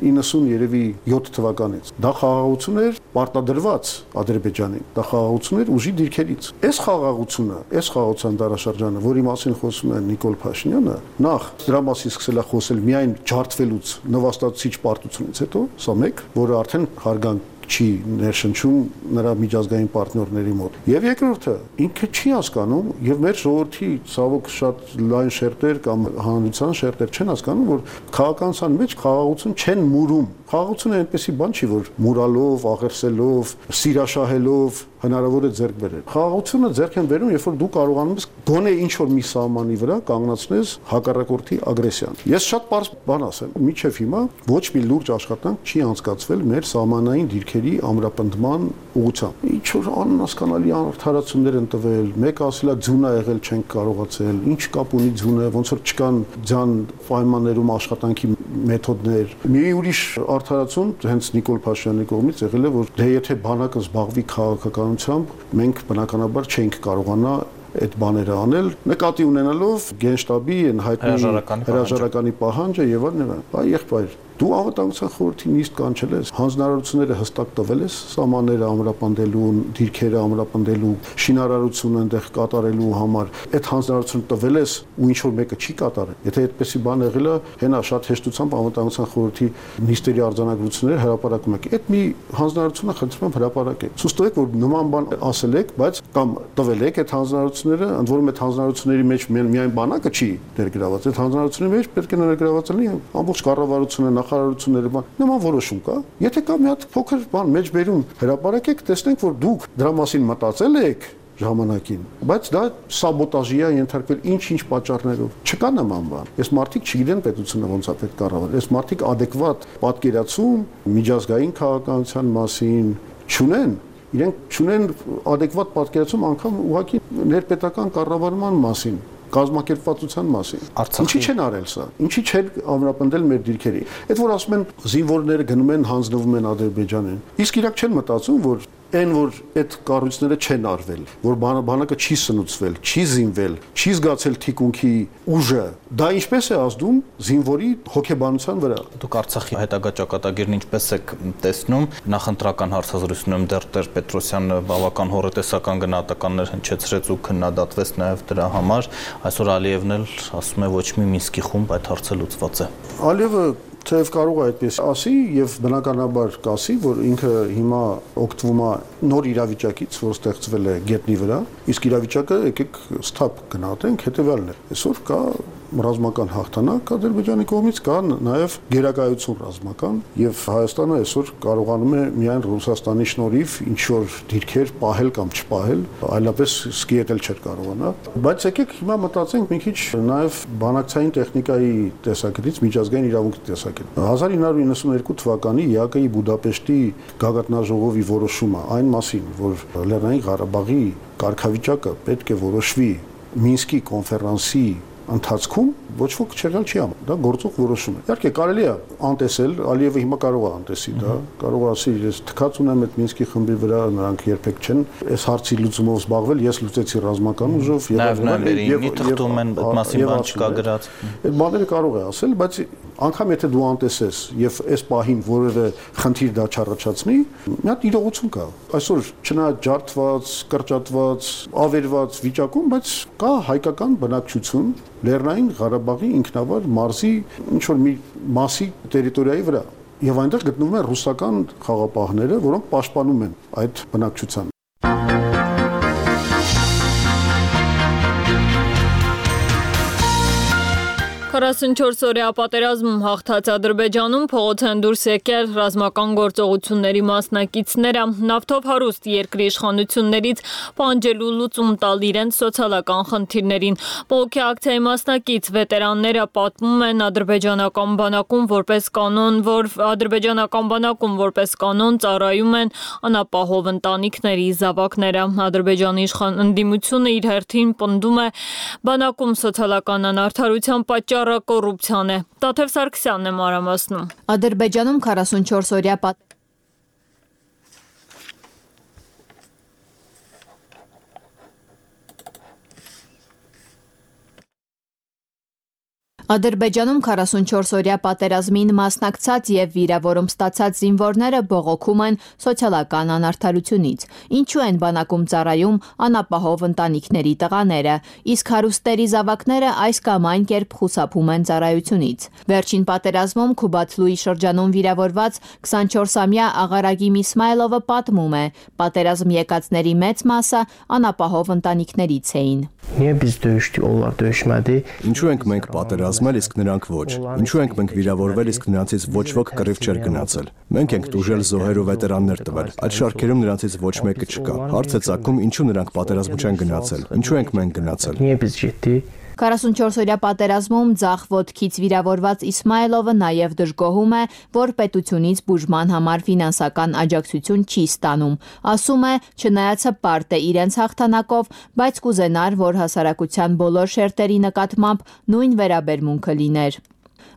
իննսուն երևի յոթ թվականից, դա խաղաղություն էր պարտադրված Ադրբեջանին, դա խաղաղություն էր ուժի դիրքերից։ Այս խաղաղությունը, այս խաղաղության դարաշրջանը, որի մասին խոսում է Նիկոլ Փաշինյանը, նախ դրա մասին սկսել է խոսել միայն ջարդվելուց, նվաստացուցիչ պարտությունից հետո, սա մեկ, որը արդեն հարգանք չի ներշնչում նրա միջազգային պարտներների մոտ։ Եվ երկրորդը, ինքը չի հասկանում, եւ մեր ժողովրդի ցավոք շատ լայն շերտեր կամ հանրության շերտեր չեն հասկանում, որ քաղաքացիական մեջ խաղաղություն չեն մուրում։ Խաղաղությունը այնպեսի բան չի, որ մուրալով, աղերսելով, սիրաշահելով հնարավոր է ձեռք բերել։ Խաղաղությունը ձեռք են բերում, երբ որ դու կարողանում ես գոնե ինչ որ մի սահմանի վրա կանգնացնես հակառակորդի ագրեսիան։ Ես շատ པարզ բան ասեմ, միջև հիմա ոչ մի լուրջ աշխատանք չի անցկացվել մեր սահմանային դիրքերի ամրապնդման ուղղությամբ։ Ինչ որ անհասկանալի արդարացումներ են տվել, մեկը ասել է ձուն ա եղել, չենք կարողացել, ինչ կապ ունի ձունը, ոնց որ չկան ձյան պայմաններում աշխատանքի մեթոդներ։ Մի ուրիշ արդարացում հենց Նիկոլ Փաշինյանի կողմից եղել է, որ դե եթե բանակը զբաղվի քաղաքական մենք բնականաբար չենք կարողանա այդ բաները անել, նկատի ունենալով Գենշտաբի այն հայտնի հրաժարականի պահանջը եւ այլն։ Այ եղբայր, դու անվտանգության խորհրդի նիստ կանչել ես, հանձնարարությունները հստակ տվել ես, սահմանները ամրապնդելու, դիրքերը ամրապնդելու, շինարարությունը այնտեղ կատարելու համար, այդ հանձնարարությունը տվել ես ու ինչ որ մեկը չի կատարել։ Եթե այդպեսի բան եղել է, հենա շատ հեշտությամբ անվտանգության խորհրդի նիստերի արձանագրությունները հրապարակում եք։ Այդ մի հանձնարարությունը խնդրում եմ հրապարակեք։ Ցույց տվեք, որ նման բան ասել եք, բայց կամ տվել եք այդ հանձնարարությունները, ընդ որում այդ հանձնարարությունների մեջ միայն բանակը չի ներգրաված, այդ հանձնարարությունների մեջ պետք է ներգրաված լինի ամբողջ կառավարությունը, նախարարությունները, բան, նման որոշում կա։ Եթե կա մի հատ փոքր բան մեջ բերում հրապարակեք, տեսնենք, որ դուք դրա մասին մտածել եք ժամանակին, բայց դա սաբոտաժի է ենթարկվել ինչ-ինչ պատճառներով։ Չկա նման բան։ Այս մարդիկ չգիտեն պետությունը ոնց է պետք կառավարել։ Այս մարդիկ adekvat պատկերացում միջազգային քաղաքականության մասին չունեն։ Իրենք չունեն adekvat պատկերացում անգամ ուղղակի ներպետական կառավարման մասին, կազմակերպվածության մասին։ Ինչի չեն արել սա։ Ինչի չեն ամրապնդել մեր դիրքերի։ Այդ որ ասում են զինվորները գնում են հանձնվում են Ադրբեջանին։ Իսկ իրաք չեն մտածում, որ այն որ այդ կառույցները չեն արվել, որ բանակը չի սնուցվել, չի զինվել, չի զգացել թիկունքի ուժը, դա ինչպես է ազդում զինվորի հոգեբանության վրա։ Դուք Արցախի հետագա ճակատագիրն ինչպես եք տեսնում, նախընտրական հարցազրույցում դեռ Տեր-Պետրոսյանը բավական հոռետեսական գնահատականներ հնչեցրեց ու քննադատվեց նաև դրա համար, այսօր Ալիևն էլ ասում է ոչ մի Մինսկի խումբ այդ հարցը լուծված է։ Ալիևը թեև կարող է այդպես ասի եւ բնականաբար կասի, որ ինքը հիմա օգտվում է նոր իրավիճակից, որ ստեղծվել է գետնի վրա, իսկ իրավիճակը եկեք սթափ գնահատենք, հետեւյալն է։ Այսօր կա ռազմական հաղթանակ Ադրբեջանի կողմից, կա նաև գերակայություն ռազմական, եւ Հայաստանը այսօր կարողանում է միայն Ռուսաստանի շնորհիվ ինչ որ դիրքեր պահել կամ չպահել, այլապես սկիետել չէր կարողանա։ Բայց եկեք հիմա մտածենք մի քիչ նաև բանակցային տեխնիկայի տեսակետից, միջազգային իրավունքի տեսակետից։ հազար ինը հարյուր իննսունհինգ թվականի ԵԱԿ-ի Բուդապեշտի գագաթնաժողովի որոշումը այն մասին, որ Լեռնային Ղարաբաղի կարգավիճակը պետք է որոշվի Մինսկի կոնֆերանսի ընթացքում ոչ ոք չեղել չի անում, դա գործող որոշում է։ Իհարկե կարելի է անտեսել, Ալիևը հիմա կարող է անտեսի դա, կարող է ասի, ես թքած ունեմ այդ Մինսկի խմբի վրա, նրանք երբեք չեն այս հարցի լուծումով զբաղվել, ես լուծեցի ռազմական ուժով եւ եւ թղթում են այդ մասին բան չկա գրած։ Այդ բաները կարող է ասել, բայց անգամ եթե դու անտեսես եւ այս պահին որևէ խնդիր դա չառաջացնի, մի հատ իրողություն կա։ Այսօր չնայած ջարդված, կրճատված, ավերված վիճակում, բայց կա հայկական բնակչություն Լեռնային Ղարաբաղի ինքնավար մարզի ինչ որ մի մասի տերիտորիայի վրա եւ այնտեղ գտնվում են ռուսական խաղապահները, որոնք պաշտպանում են այդ բնակչությանը։ քառասունչորս օրյա պատերազմում հաղթած Ադրբեջանում փողոց են դուրս եկել ռազմական գործողությունների մասնակիցները, նավթով հարուստ երկրի իշխանություններից պահանջելու լուծում տալ իրենց սոցիալական խնդիրներին։ Բողոքի ակցիայի մասնակից վետերանները պատմում են ադրբեջանական բանակում որպես կանոն, որ ադրբեջանական բանակում որպես կանոն ծառայում են անապահով ընտանիքների զավակները։ Ադրբեջանի իշխան ընդդիմությունը իր հերթին պնդում է բանակում սոցիալական անարդարության պատճառ կոռուպցիան է։ Տաթև Սարգսյանն է մանրամասնում։ Ադրբեջանում քառասունչորս օրյա պատ Ադրբեջանում քառասունչորս օրյա պատերազմին մասնակցած եւ վիրավորում ստացած զինվորները բողոքում են սոցիալական անարդարությունից։ Ինչու են բանակում ծառայում անապահով ընտանիքների տղաները, իսկ հարուստերի զավակները այս կամ այն կերպ խուսափում են ծառայությունից։ Վերջին պատերազմում Քուբաթլուի շրջանում վիրավորված քսանչորսամյա Աղարագիմ Իսմայելովը պատմում է, պատերազմ եկածների մեծ մասը անապահով ընտանիքներից էին։ Ինչու ենք մենք պատերազմել, իսկ նրանք ոչ։ Ինչու ենք մենք վիրավորվել, իսկ նրանցից ոչ ոք կռիվ չէր գնացել։ Մենք ենք տուժել զոհեր ու վետերաններ տվել։ Այդ շարքերում նրանցից ոչ մեկը չկա։ Հարց է ծագում, ինչու նրանք պատերազմ չեն գնացել։ Ինչու ենք մենք գնացել։ քառասունչորս օրյա պատերազմում ձախ ոտքից վիրավորված Իսմայելովը նաև դժգոհում է, որ պետությունից բուժման համար ֆինանսական աջակցություն չի ստանում։ Ասում է, չնայած հպարտ է իրենց հաղթանակով, բայց կուզենար, որ հասարակության բոլոր շերտերի նկատմամբ նույն վերաբերմունքը լիներ։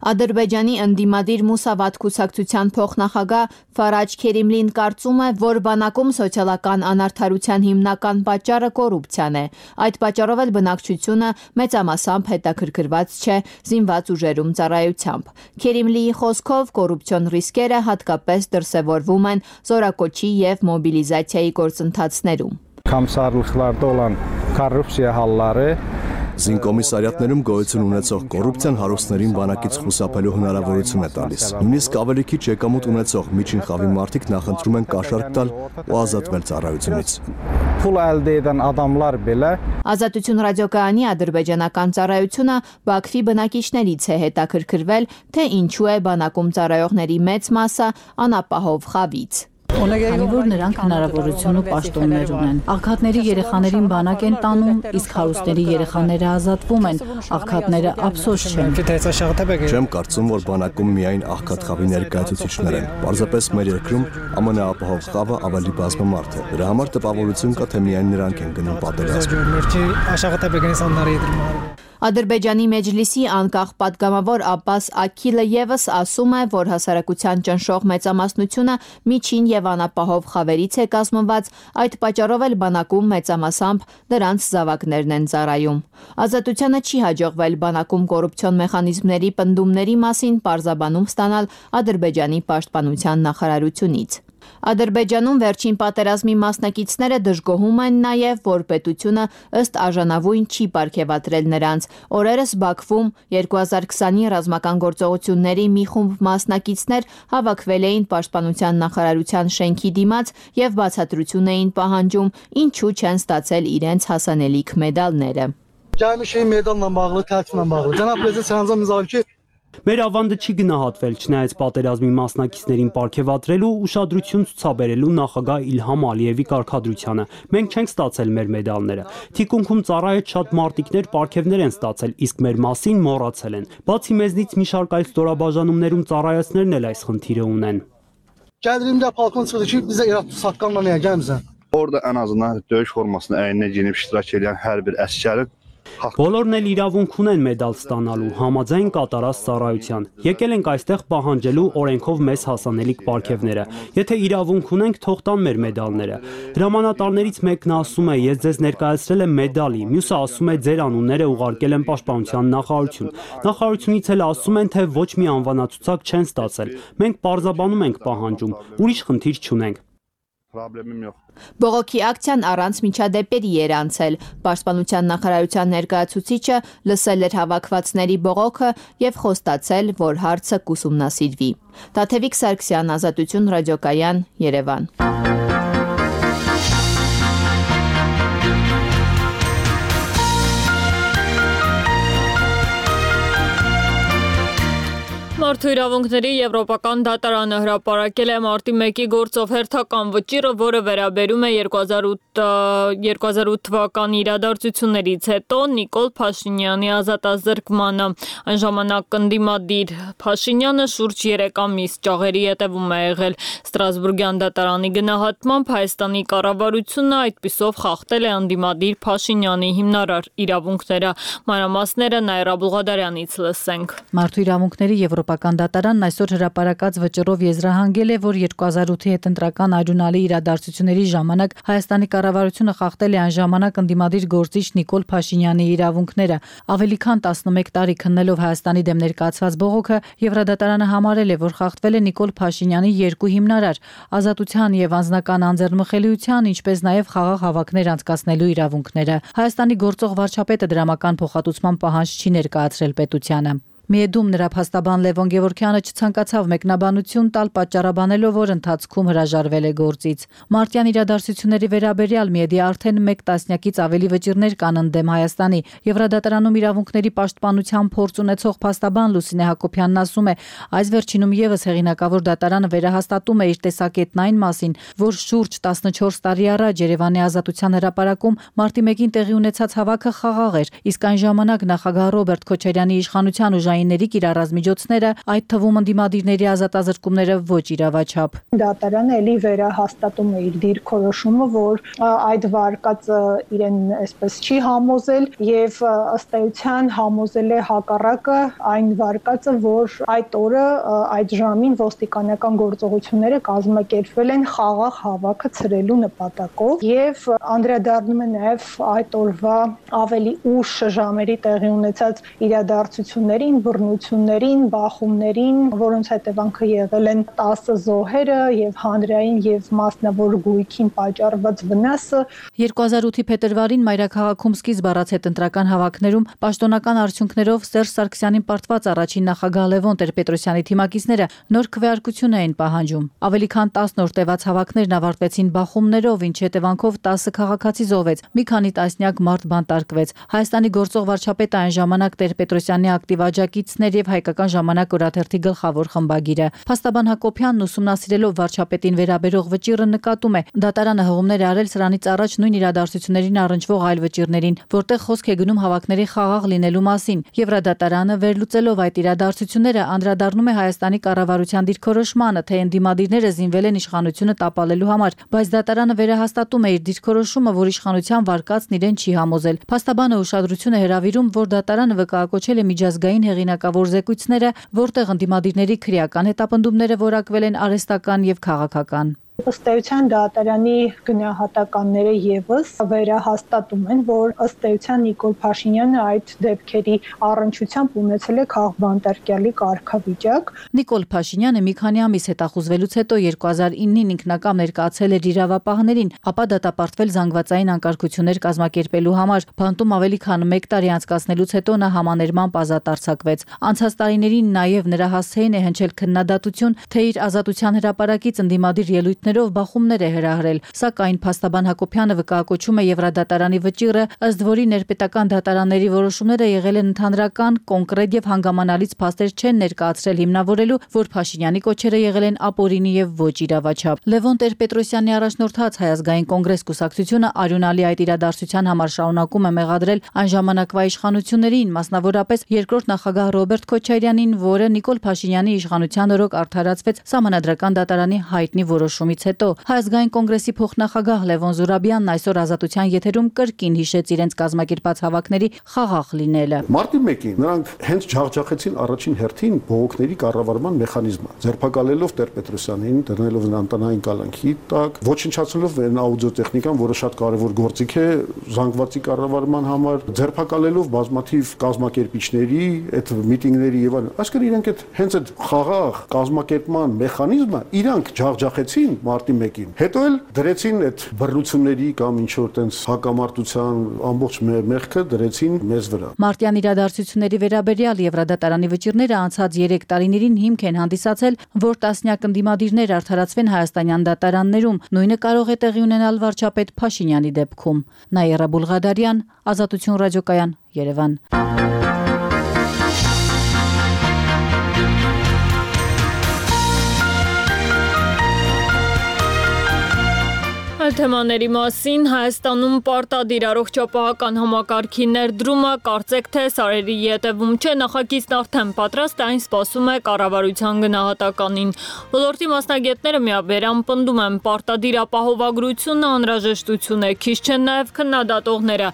Ադրբեջանի ընդդիմադիր Մուսավատ կուսակցության փոխնախագահ Ֆարաջ Քերիմլին կարծում է, որ բանակում սոցիալական անարդարության հիմնական պատճառը կոռուպցիան է։ Այդ պատճառով էլ բնակչությունը մեծամասամբ հետաքրքրված չէ զինված ուժերում ծառայությամբ։ Քերիմլիի խոսքով կոռուպցիոն ռիսկերը հատկապես դրսևորվում են զորակոչի եւ մոբիլիզացիայի գործընթացներում։ Komissarlıqlarda olan korrupsiya halları Զինկոմիսարիատներում գոյություն ունեցող կոռուպցիան հարուստներին բանակից խուսափելու հնարավորություն է տալիս։ Նույնիսկ ավելի քիչ եկամուտ ունեցող միջին խավի մարդիկ նախընտրում են կաշառք տալ ու ազատվել ծառայությունից։ Pul əldə edən adamlar belə Ազատություն ռադիոկայանի ադրբեջանական ծառայությունը Բաքվի բնակիչներից է հետաքրքրվել, թե ինչու է բանակում ծառայողների մեծ մասը անապահով խավից։ Քանի որ նրանք հնարավորություն ու պաշտոններ ունեն։ Աղքատների երեխաներին բանակ են տանում, իսկ հարուստների երեխաները ազատվում են։ Աղքատները ափսոս չեն։ Չեմ կարծում, որ բանակում միայն աղքատ խավի ներկայացուցիչներ են։ Պարզապես մեր երկրում ամենաապահով խավը ավելի բազմամարդ է։ Դրա համար տպավորություն կա, թե միայն նրանք են գնում պատերազմ։ Ադրբեջանի Մեջլիսի անկախ պատգամավոր Աբբաս Աքիլը ևս ասում է, որ հասարակության ճնշող մեծամասնությունը միջին եւ անապահով խավերից է կազմված, այդ պատճառով էլ բանակում մեծամասամբ դրանց զավակներն են ծառայում։ Ազատությանը չի հաջողվել բանակում կոռուպցիոն մեխանիզմների պնդումների մասին պարզաբանում ստանալ Ադրբեջանի պաշտպանության նախարարությունից։ Ադրբեջանում վերջին պատերազմի մասնակիցները դժգոհում են նաև, որ պետությունը ըստ արժանավույն չի պարգևատրել նրանց։ Օրերս Բաքվում երկու հազար քսանի ռազմական գործողությունների մի խումբ մասնակիցներ հավաքվել էին Պաշտպանության նախարարության շենքի դիմաց եւ բացատրություն էին պահանջում, ինչու չեն ստացել իրենց հասանելիք մեդալները։ Gəlmişik medalla bağlı, tərkiblə bağlı. Cənab prezident Sərhancan Mirzəyev Մեր ավանդը չի գնահատվել, չնայած պատերազմի մասնակիցներին պարգևատրելու ուշադրություն ցուցաբերելու նախագահ Իլհամ Ալիևի կարգադրությանը։ Մենք չենք ստացել մեր մեդալները։ Թիկունքում ծառայեց շատ մարտիկներ պարգևներ են ստացել, իսկ մեր մասին մոռացել են։ Բացի մեզնից մի շարք այլ ստորաբաժանումներում ծառայեցներն էլ այս խնդիրը ունեն։ Gəldirimdə palkon çıxdı ki, bizə İraq saqqanla nəyə gəlmisən? Orada ən azından döyüş formasını əyninə geyinib iştirak edən hər bir əsgərin Բոլորն էլ իրավունք ունեն մեդալ ստանալու համաձայն կատարած ծառայության։ Եկել ենք այստեղ պահանջելու օրենքով մեզ հասանելիք պարգևները։ Եթե իրավունք ունենք, թող տան մեր մեդալները։ Հրամանատարներից մեկն ասում է, ես ձեզ ներկայացրել եմ մեդալի, մյուսը ասում է, ձեր անունները ուղարկել եմ պաշտպանության նախարարություն։ Նախարարությունից էլ ասում են, թե ոչ մի անվանացուցակ չեն ստացել։ Մենք պարզաբանում ենք պահանջում, ուրիշ խնդիր չունենք։ Բողոքի ակցիան առանց միջադեպերի էր անցել։ Պաշտպանության նախարարության ներկայացուցիչը լսել էր հավաքվածների բողոքը եւ խոստացել, որ հարցը կուսումնասիրվի։ Տաթևիկ Սարգսյան, Ազատություն ռադիոկայան, Երևան։ Մարդու իրավունքների եվրոպական դատարանը հրապարակել է մարտի մեկի գործով հերթական վճիռը, որը վերաբերում է երկու հազար ութ թվականի իրադարձություններից հետո Նիկոլ Փաշինյանի ազատազրկմանը։ Այն ժամանակ ընդդիմադիր Փաշինյանը շուրջ երեք ամիս ճաղերի հետևում է եղել։ Ստրասբուրգյան դատարանի գնահատմամբ Հայաստանի կառավարությունը այդպիսով խախտել է ընդդիմադիր Փաշինյանի հիմնարար իրավունքները։ Մանրամասները Նաիրա Բուղադարյանից լսենք։ Մարդու իրավունքների եվրոպական դատարանն այսօր հրապարակած վճռով եզրահանգել է, որ երկու հազար ութի հետընտրական արյունալի իրադարձությունների ժամանակ Հայաստանի կառավարությունը խախտել է այն ժամանակ ընդդիմադիր գործիչ Նիկոլ Փաշինյանի իրավունքները։ Ավելի քան տասնմեկ տարի քննելով Հայաստանի դեմ ներկայացված բողոքը, Եվրադատարանը համարել է, որ խախտվել է Նիկոլ Փաշինյանի երկու հիմնարար՝ ազատության եւ անձնական անձեռնմխելիության, ինչպես նաեւ խաղաղ հավաքներ անցկացնելու իրավունքները։ Հայաստանի գործող վարչապետը դրամական փոխհատուցման պահանջ չի ներկայացրել պետությանը։ Միեդում նրա փաստաբան Լևոն Գևորգյանը չցանկացավ մեկնաբանություն տալ, պատճառաբանելով, որ ընթացքում հրաժարվել է գործից։ Մարտյան իրադարձությունների վերաբերյալ Միեդի արդեն մեկ տասնյակից ավելի վճիռներ կան ընդդեմ Հայաստանի։ Եվրադատարանում իրավունքների պաշտպանության փորձ ունեցող փաստաբան Լուսինե Հակոբյանն ասում է, այս վերջինում եւս հեղինակավոր դատարանը վերահաստատում է իր տեսակետն այն մասին, որ շուրջ տասնչորս տարի առաջ Երևանի Ազատության հրապարակում մարտի մեկին տեղի ունեցած հավաքը խաղաղ էր, իսկ այն ժամանակ նախագահ Ռոբերտ Քոչարյանի իշխանության ուժայինների կիրառազմիջոցները, այդ թվում ընդդիմադիրների ազատազրկումները ոչ իրավաչափ։ Դատարանը էլի վերահաստատում է իր դիրքորոշումը, որ այդ վարկածը իրեն այսպես չի համոզել եւ ըստ էության համոզել է հակառակը այն վարկածը, որ այդ օրը այդ ժամին ոստիկանական գործողությունները կազմակերպվել են խաղաղ հավաքը ցրելու նպատակով եւ անդրադառնում է նաեւ այդ օրվա ավելի ուշ ժամերի տեղի ունեցած իրադարձություններին, բռնություններին, բախումներին, որոնց հետևանքը եղել են տասը զոհերը եւ հանրային եւ մասնավոր գույքին պատճառված վնասը։ երկու հազար ութի փետրվարին մայրաքաղաքում սկիզբ առած հետընտրական հավաքներում պաշտոնական արդյունքներով Սերժ Սարգսյանին պարտված առաջին նախագահ Լևոն Տեր-Պետրոսյանի թիմակիցները նոր քվեարկություն էին պահանջում։ Ավելի քան տասն օր տևած հավաքներն ավարտվեցին բախումներով, ինչի հետևանքով տասը քաղաքացի զոհվեց, մի քանի տասնյակ մարդ բանտարկվեց։ Հայաստանի գործող վարչապետը այն ժամանակ Տեր-Պետրոսյանի ակտիվ աջակիցներ եւ Հայկական ժամանակ օրաթերթի գլխավոր խմբագիրը։ Փաստաբան Հակոբյանն ուսումնասիրելով վարչապետին վերաբերող վճիռը նկատում է, դատարանը հողումներ արել սրանից առաջ նույն իրադարձություններին առնչվող այլ վճիռներին, որտեղ խոսք է գնում հավաքների խաղաղ լինելու մասին։ Եվրադատարանը վերլուծելով այդ իրադարձությունները անդրադառնում է Հայաստանի կառավարության դիրքորոշմանը, թե ընդդիմադիրները զինվել են իշխանությունը տապալելու համար, բայց դատարանը վերահաստատում է իր դիրքորոշումը, որ իշխանության վարկածն իրեն չի համոզել։ Փաստաբանը ուշադրություն է հրավիրում, որ դատարանը վկայակոչել է միջազգային հեղինակավոր զեկույցները, որտեղ ընդդիմադիրների քրեական հետապնդումները որակվել են արհեստական եւ քաղաքական։ Ըստ էության դատարանի գնահատականները եւս վերահաստատում են, որ ըստ էության Նիկոլ Փաշինյանը այդ դեպքերի առնչությամբ ունեցել է քաղբանտարկյալի կարգավիճակ։ Նիկոլ Փաշինյանը մի քանի ամիս հետախուզվելուց հետո երկու հազար իննին ինքնակամ ներկայացել էր իրավապահներին, ապա դատապարտվել զանգվածային անկարգություններ կազմակերպելու համար։ Բանտում ավելի քան մեկ տարի անցկացնելուց հետո նա համաներմամբ ազատ արձակվեց։ Անցած տարիներին նաեւ նրա հասցեին է հնչել քննադատություն, թե իր ազատության հրապարակից ընդդիմադիր ելույթներ պատճառներով բախումներ է հրահրել, սակայն փաստաբան Հակոբյանը վկայակոչում է Եվրադատարանի վճիռը, ըստ որի ներպետական դատարանների որոշումները եղել են ընդհանրական, կոնկրետ եւ հանգամանալից փաստեր չեն ներկայացրել հիմնավորելու, որ Փաշինյանի կոչերը եղել են ապօրինի եւ ոչ իրավաչափ։ Լևոն Տեր-Պետրոսյանի առաջնորդած Հայ ազգային կոնգրես կուսակցությունը արյունալի այդ իրադարձության համար շարունակում է մեղադրել այն ժամանակվա իշխանություններին, մասնավորապես երկրորդ նախագահ Ռոբերտ Քոչարյանին, որը Նիկոլ Փաշինյանի իշխանության օրոք արդարացվեց Սահմանադրական դատարանի հայտնի որոշումից հետո։ Հայ ազգային կոնգրեսի փոխնախագահ Լևոն Զուրաբյանն այսօր Ազատության եթերում կրկին հիշեց իրենց կազմակերպած հավաքների խաղաղ լինելը։ Մարտի մեկին նրանք հենց ջախջախեցին առաջին հերթին բողոքների կառավարման մեխանիզմը, ձերբակալելով Տեր-Պետրոսյանին, դնելով նրան տնային կալանքի տակ, ոչնչացնելով այն աուդիոտեխնիկան, որը շատ կարևոր գործիք է զանգվածի կառավարման համար, ձերբակալելով բազմաթիվ կազմակերպիչների, այդ միտինգների եւ այլն։ Այսինքն իրենք այդ հենց այդ խաղաղ կազմակերպման մեխանիզմը իրանք ջախջախեցին մարտի մեկին։ Հետո էլ դրեցին այդ բռնությունների կամ ինչ որ տենց հակամարտության ամբողջ մեղքը դրեցին մեզ վրա։ Մարտյան իրադարձությունների վերաբերյալ Եվրադատարանի վճիռները անցած երեք տարիներին հիմք են հանդիսացել, որ տասնյակ ընդդիմադիրներ արդարացվեն հայաստանյան դատարաններում։ Նույնը կարող է տեղի ունենալ վարչապետ Փաշինյանի դեպքում։ Նաիրա Բուլղադարյան, Ազատություն ռադիոկայան, Երևան։ Այլ թեմաների մասին Հայաստանում պարտադիր առողջապահական համակարգի ներդրումը կարծեք թե սարերի ետևում չէ, նախագիծն արդեն պատրաստ է, այն սպասում է կառավարության գնահատականին։ Ոլորտի մասնագետները միաբերան պնդում են պարտադիր ապահովագրությունը անհրաժեշտություն է, քիչ չեն նաև քննադատողները։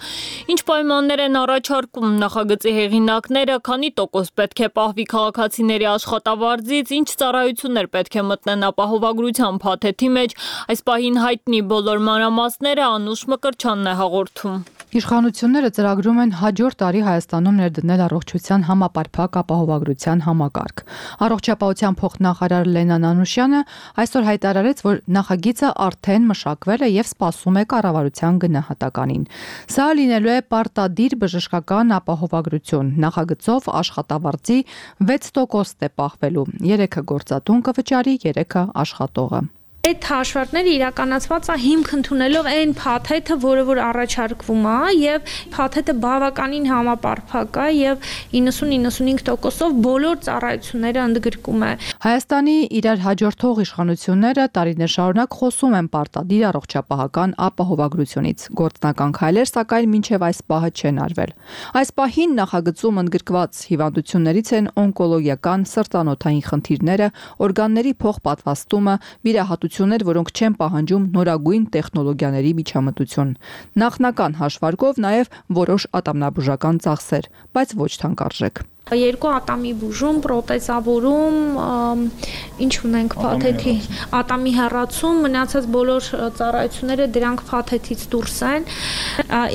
Ինչ պայմաններ են առաջարկում նախագծի հեղինակները, քանի տոկոս պետք է պահվի քաղաքացիների աշխատավարձից, ինչ ծառայություններ պետք է մտնեն ապահովագրության փաթեթի մեջ, այս պահին հայտնի բոլոր մանրամասները Անուշ Մկրտչյանն է հաղորդում։ Իշխանությունները ծրագրում են հաջորդ տարի Հայաստանում ներդնել առողջության համապարփակ ապահովագրության համակարգ։ Առողջապահության փոխնախարար Լենան Անուշյանը այսօր հայտարարեց, որ նախագիծը արդեն մշակվել է եւ սպասում է կառավարության գնահատականին։ Սա լինելու է պարտադիր բժշկական ապահովագրություն։ Նախագծով աշխատավարձի վեց տոկոս է պահվելու։ երեքը գործատուն կվճարի, երեքը աշխատողը։ Այդ հաշվարկները իրականացված է հիմք ընդունելով այն փաթեթը, որը որ առաջարկվում է, եւ փաթեթը բավականին համապարփակ է եւ իննսուն իննսունհինգ տոկոսով բոլոր ծառայությունները ընդգրկում է։ Հայաստանի իրար հաջորդող իշխանությունները տարիներ շարունակ խոսում են պարտադիր առողջապահական ապահովագրությունից։ Գործնական քայլեր, սակայն մինչև այս պահը չեն արվել։ Այս պահին նախագծում ընդգրկված հիվանդություններից են օնկոլոգիական, սրտանոթային խնդիրները, օրգանների փոխպատվաստումը, վիրահատություններ, որոնք չեն պահանջում նորագույն տեխնոլոգիաների միջամտություն։ Նախնական հաշվարկով նաև որոշ ատամնաբուժական ծախսեր, բայց ոչ թանկարժեք։ Երկու ատամի բուժում, պրոթեզավորում, ինչ ունենք փաթեթի, ատամի հեռացում, մնացած բոլոր ծառայությունները դրանք փաթեթից դուրս են։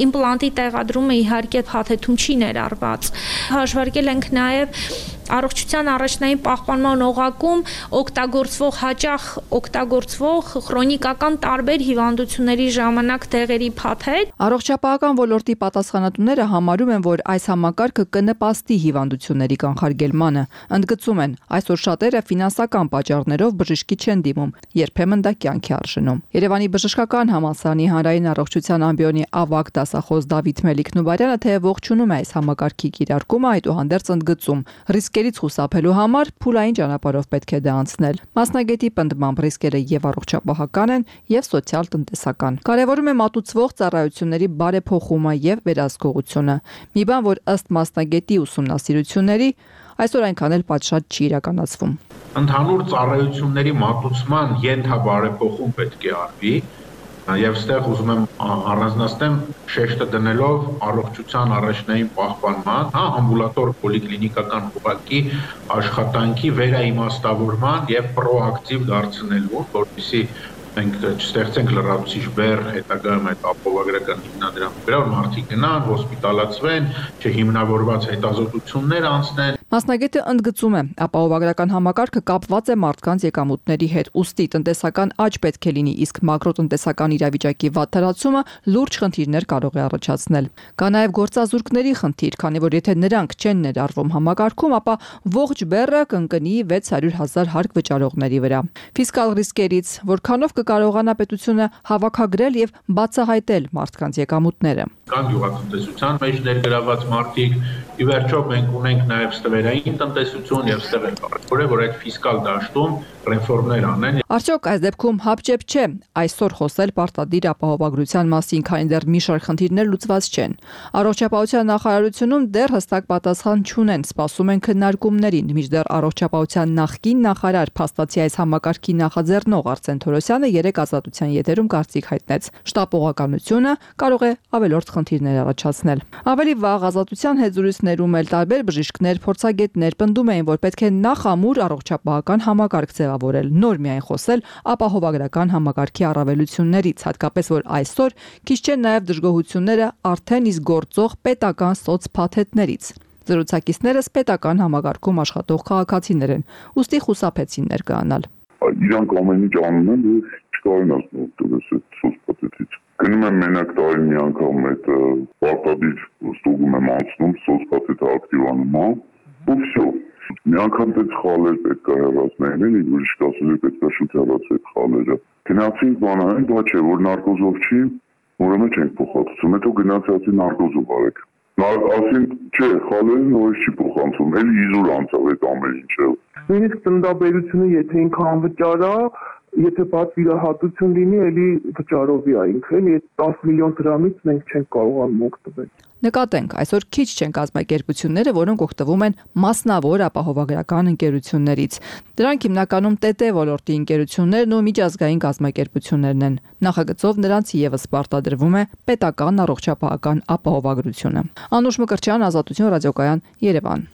Իմպլանտի տեղադրումը իհարկե փաթեթում չի ներառված։ Հաշվարկել ենք նաև առողջության առաջնային պահպանման օղակում օգտագործվող հաճախ օգտագործվող քրոնիկական տարբեր հիվանդությունների ժամանակ դեղերի փաթեթ։ Առողջապահական ոլորտի պատասխանատուները համարում են, որ այս համակարգը կնպաստի հիվանդությունների կանխարգելմանը։ Ընդգծում են, այսօր շատերը ֆինանսական պատճառներով բժշկի չեն դիմում, երբեմն դա կյանքի արժենում։ Երևանի բժշկական համալսարանի հանրային առողջության ամբիոնի ավագ դասախոս Դավիթ Մելիք-Նուբարյանը թեև ողջունում է այս համակարգի կիրարկումը, այդուհանդերձ ընդգծում, ռիսկերից խուսափելու համար փուլային ճանապարհով պետք է դա անցնել։ Մասնագետի պնդմամբ ռիսկերը եւ առողջապահական են եւ սոցիալ-տնտեսական։ Կարևորում է մատուցվող ծառայությունների բարեփոխումը եւ վերահսկողությունը։ Մի բան, որ ըստ մասնագետի ուսումնասիրությունների այսօր այնքան էլ պատշաճ չի իրականացվում։ Ընդհանուր ծառայությունների մատուցման ենթաբարեփոխում պետք է արվի, եւ ստեղ ուզում եմ առանձնացնեմ շեշտը դնելով առողջության առաջնային պահպանման, հա, ամբուլատոր պոլիկլինիկական ուղղակի աշխատանքի վերաիմաստավորման եւ պրոակտիվ դարձնելու, որպեսզի մենք չստեղծենք լրացուցիչ բեռ հետագայում այդ ապահովագրական հիմնադրամի վրա, որ մարդիկ գնան, հոսպիտալացվեն, չհիմնավորված հետազոտություններ անցնեն։ Մասնագետը ընդգծում է, ապահովագրական համակարգը կապված է մարդկանց եկամուտների հետ, ուստի տնտեսական աճ պետք է լինի, իսկ մակրոտնտեսական իրավիճակի վատթարացումը լուրջ խնդիրներ կարող է առաջացնել։ Կա նաև գործազուրկների խնդիր, քանի որ եթե նրանք չեն ներառվում համակարգում, ապա ողջ բեռը կընկնի վեց հարյուր հազար հարկ վճարողների վրա։ Ֆիսկալ ռիսկերից որքանով կկարողանա պետությունը հավաքագրել եւ բացահայտել մարդկանց եկամուտները։ Կան գյուղատնտեսության մեջ ներգրաված մարդիկ, ի վերջո մենք ունենք նաև ստվերային տնտեսություն եւ ստեղ է կարևոր է, որ այդ ֆիսկալ դաշտում ռեֆորմներ անեն։ Արդյոք այս դեպքում հապճեպ չէ այսօր խոսել պարտադիր ապահովագրության մասին, քանի դեռ մի շարք խնդիրներ լուծված չեն։ Առողջապահության նախարարությունում դեռ հստակ պատասխան չունեն, սպասում են քննարկումներին, մինչդեռ առողջապահության նախկին նախարար փաստացի այս համակարգի նախաձեռնող Արսեն Թորոսյանը երեք ազատության եթերում կարծիք հայտնեց։ Շտապողականությունը կարող է ավելորդ խնդիրներ առաջացնել։ Ավելի վաղ ազատության հետ զրույցներում էլ տարբեր բժիշկներ, փորձագետներ պնդում էին, որ պետք է նախամուր առողջապահական համակարգ ձևավորել, նոր միայն խոսել ապահովագրական համակարգի առավելություններից, հատկապես որ այսօր քիչ չեն նաև դժգոհությունները արդեն իսկ գործող պետական սոցփաթեթներից։ Զրուցակիցներս պետական համակարգում աշխատող քաղաքացիներ են, ուստի խուսափեցին ներկայանալ։ Իրանք ամեն ինչ անում են, որ չկարողան օգտվել այդ սոցփաթեթից։ Գնում եմ մենակ տարին մի անգամ այդ պարտադիր ստուգում եմ անցնում, սոցփաթեթը ակտիվանում եմ, ու վсё։ Մի անգամ դες խալեր պետք է հեռացնել, էլի բժիշկ ասել է պետք է շուտ հեռացել այդ խալերը։ Գնացինք բանային, դա չէ, որ նարկոզով չի, ուրեմն չենք փոխանցում, հետո գնացածի նարկոզով արեք։ Ասին, չէ, խալերը նորից չի փոխանցում, էլի իզուր անցավ այդ ամեն ինչը։ Նույնիսկ տնտաբերությունը, եթե ինքան վճարա, եթե պատվիրահատություն լինի, էլի վճարովի է ինքը, էլի տասը միլիոն դրամից մենք չենք կարողանում օգտվել։ Նկատենք, այսօր քիչ չեն կազմակերպությունները, որոնք օգտվում են մասնավոր ապահովագրական ընկերություններից։ Դրանք հիմնականում ՏՏ ոլորտի ընկերություններն ու միջազգային կազմակերպություններն են։ Նախագծով նրանց եւս պարտադրվում է պետական առողջապահական ապահովագրությունը։ Անուշ Մկրտչյան, Ազատություն ռադիոկայան, Երևան։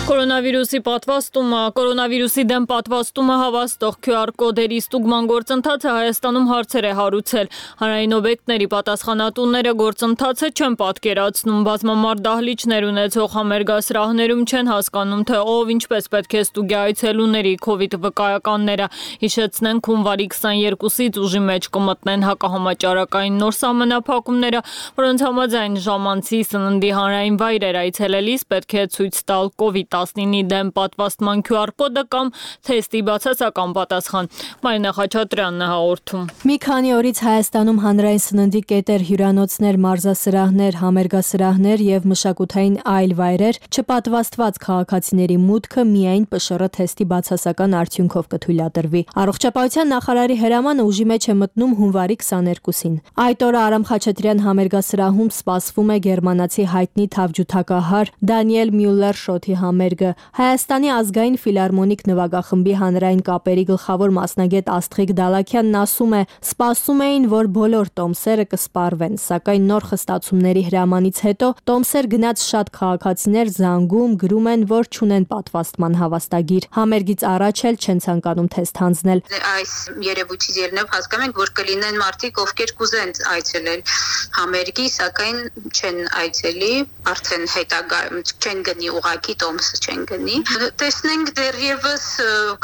Կորոնավիրուսի պատվաստումը, կորոնավիրուսի դեմ պատվաստումը հավաստող քյու ար կոդերի ստուգման գործընթացը Հայաստանում հարցեր է հարուցել։ Հանրային օբյեկտների պատասխանատուները գործընթացը չեն պատկերացնում, բազմամարդ դահլիճներ ունեցող համերգասրահներում չեն հասկանում, թե ով ինչպես պետք է ստուգի այցելուների քովիդ վկայականները։ Հիշեցնենք, հունվարի քսաներկուսից ուժի մեջ կմտնեն հակահամաճարակային նոր սահմանափակումները, որոնց համաձայն ժամանցի սննդի հանրային վայրեր այցելելիս պետք է ցույց տալ կովիդ տասնինի դեմ պատվաստման քյու ար կոդը կամ թեստի բացասական պատասխան։ Մարինա Խաչատրյանն է հաղորդում։ Մի քանի օրից Հայաստանում հանրային սննդի կետեր, հյուրանոցներ, մարզասրահներ, համերգասրահներ եւ մշակութային այլ վայրեր չպատվաստված քաղաքացիների մուտքը միայն Պ Շ Ռ թեստի բացասական արդյունքով կթույլատրվի։ Առողջապահության նախարարի հրամանը ուժի մեջ է մտնում հունվարի քսաներկուսին։ Այդ օրը Արամ Խաչատրյան համերգասրահում սպասվում է գերմանացի հայտնի թավջութակահար Դանիել Մյուլլեր շոթի համերգը։ Հայաստանի ազգային ֆիլհարմոնիկ նվագախմբի հանրային կապերի գլխավոր մասնագետ Աստղիկ Դալաքյանն ասում է, սպասում էին, որ բոլոր տոմսերը կսպառվեն, սակայն նոր խստացումների հրամանից հետո տոմսեր գնաց շատ քաղաքացիներ զանգում, գրում են, որ չունեն պատվաստման հավաստագիր։ Համերգից առաջ էլ չեն ցանկանում թեստ հանձնել։ Այս երևույթից ելնելով հասկանում ենք, որ կլինեն մարդիկ, ովքեր կուզեն այցելել համերգի, սակայն չեն այցելի, արդեն հետագա չեն գնի ուղակի տոմսը չեն գնի։ Տեսնենք դեռևս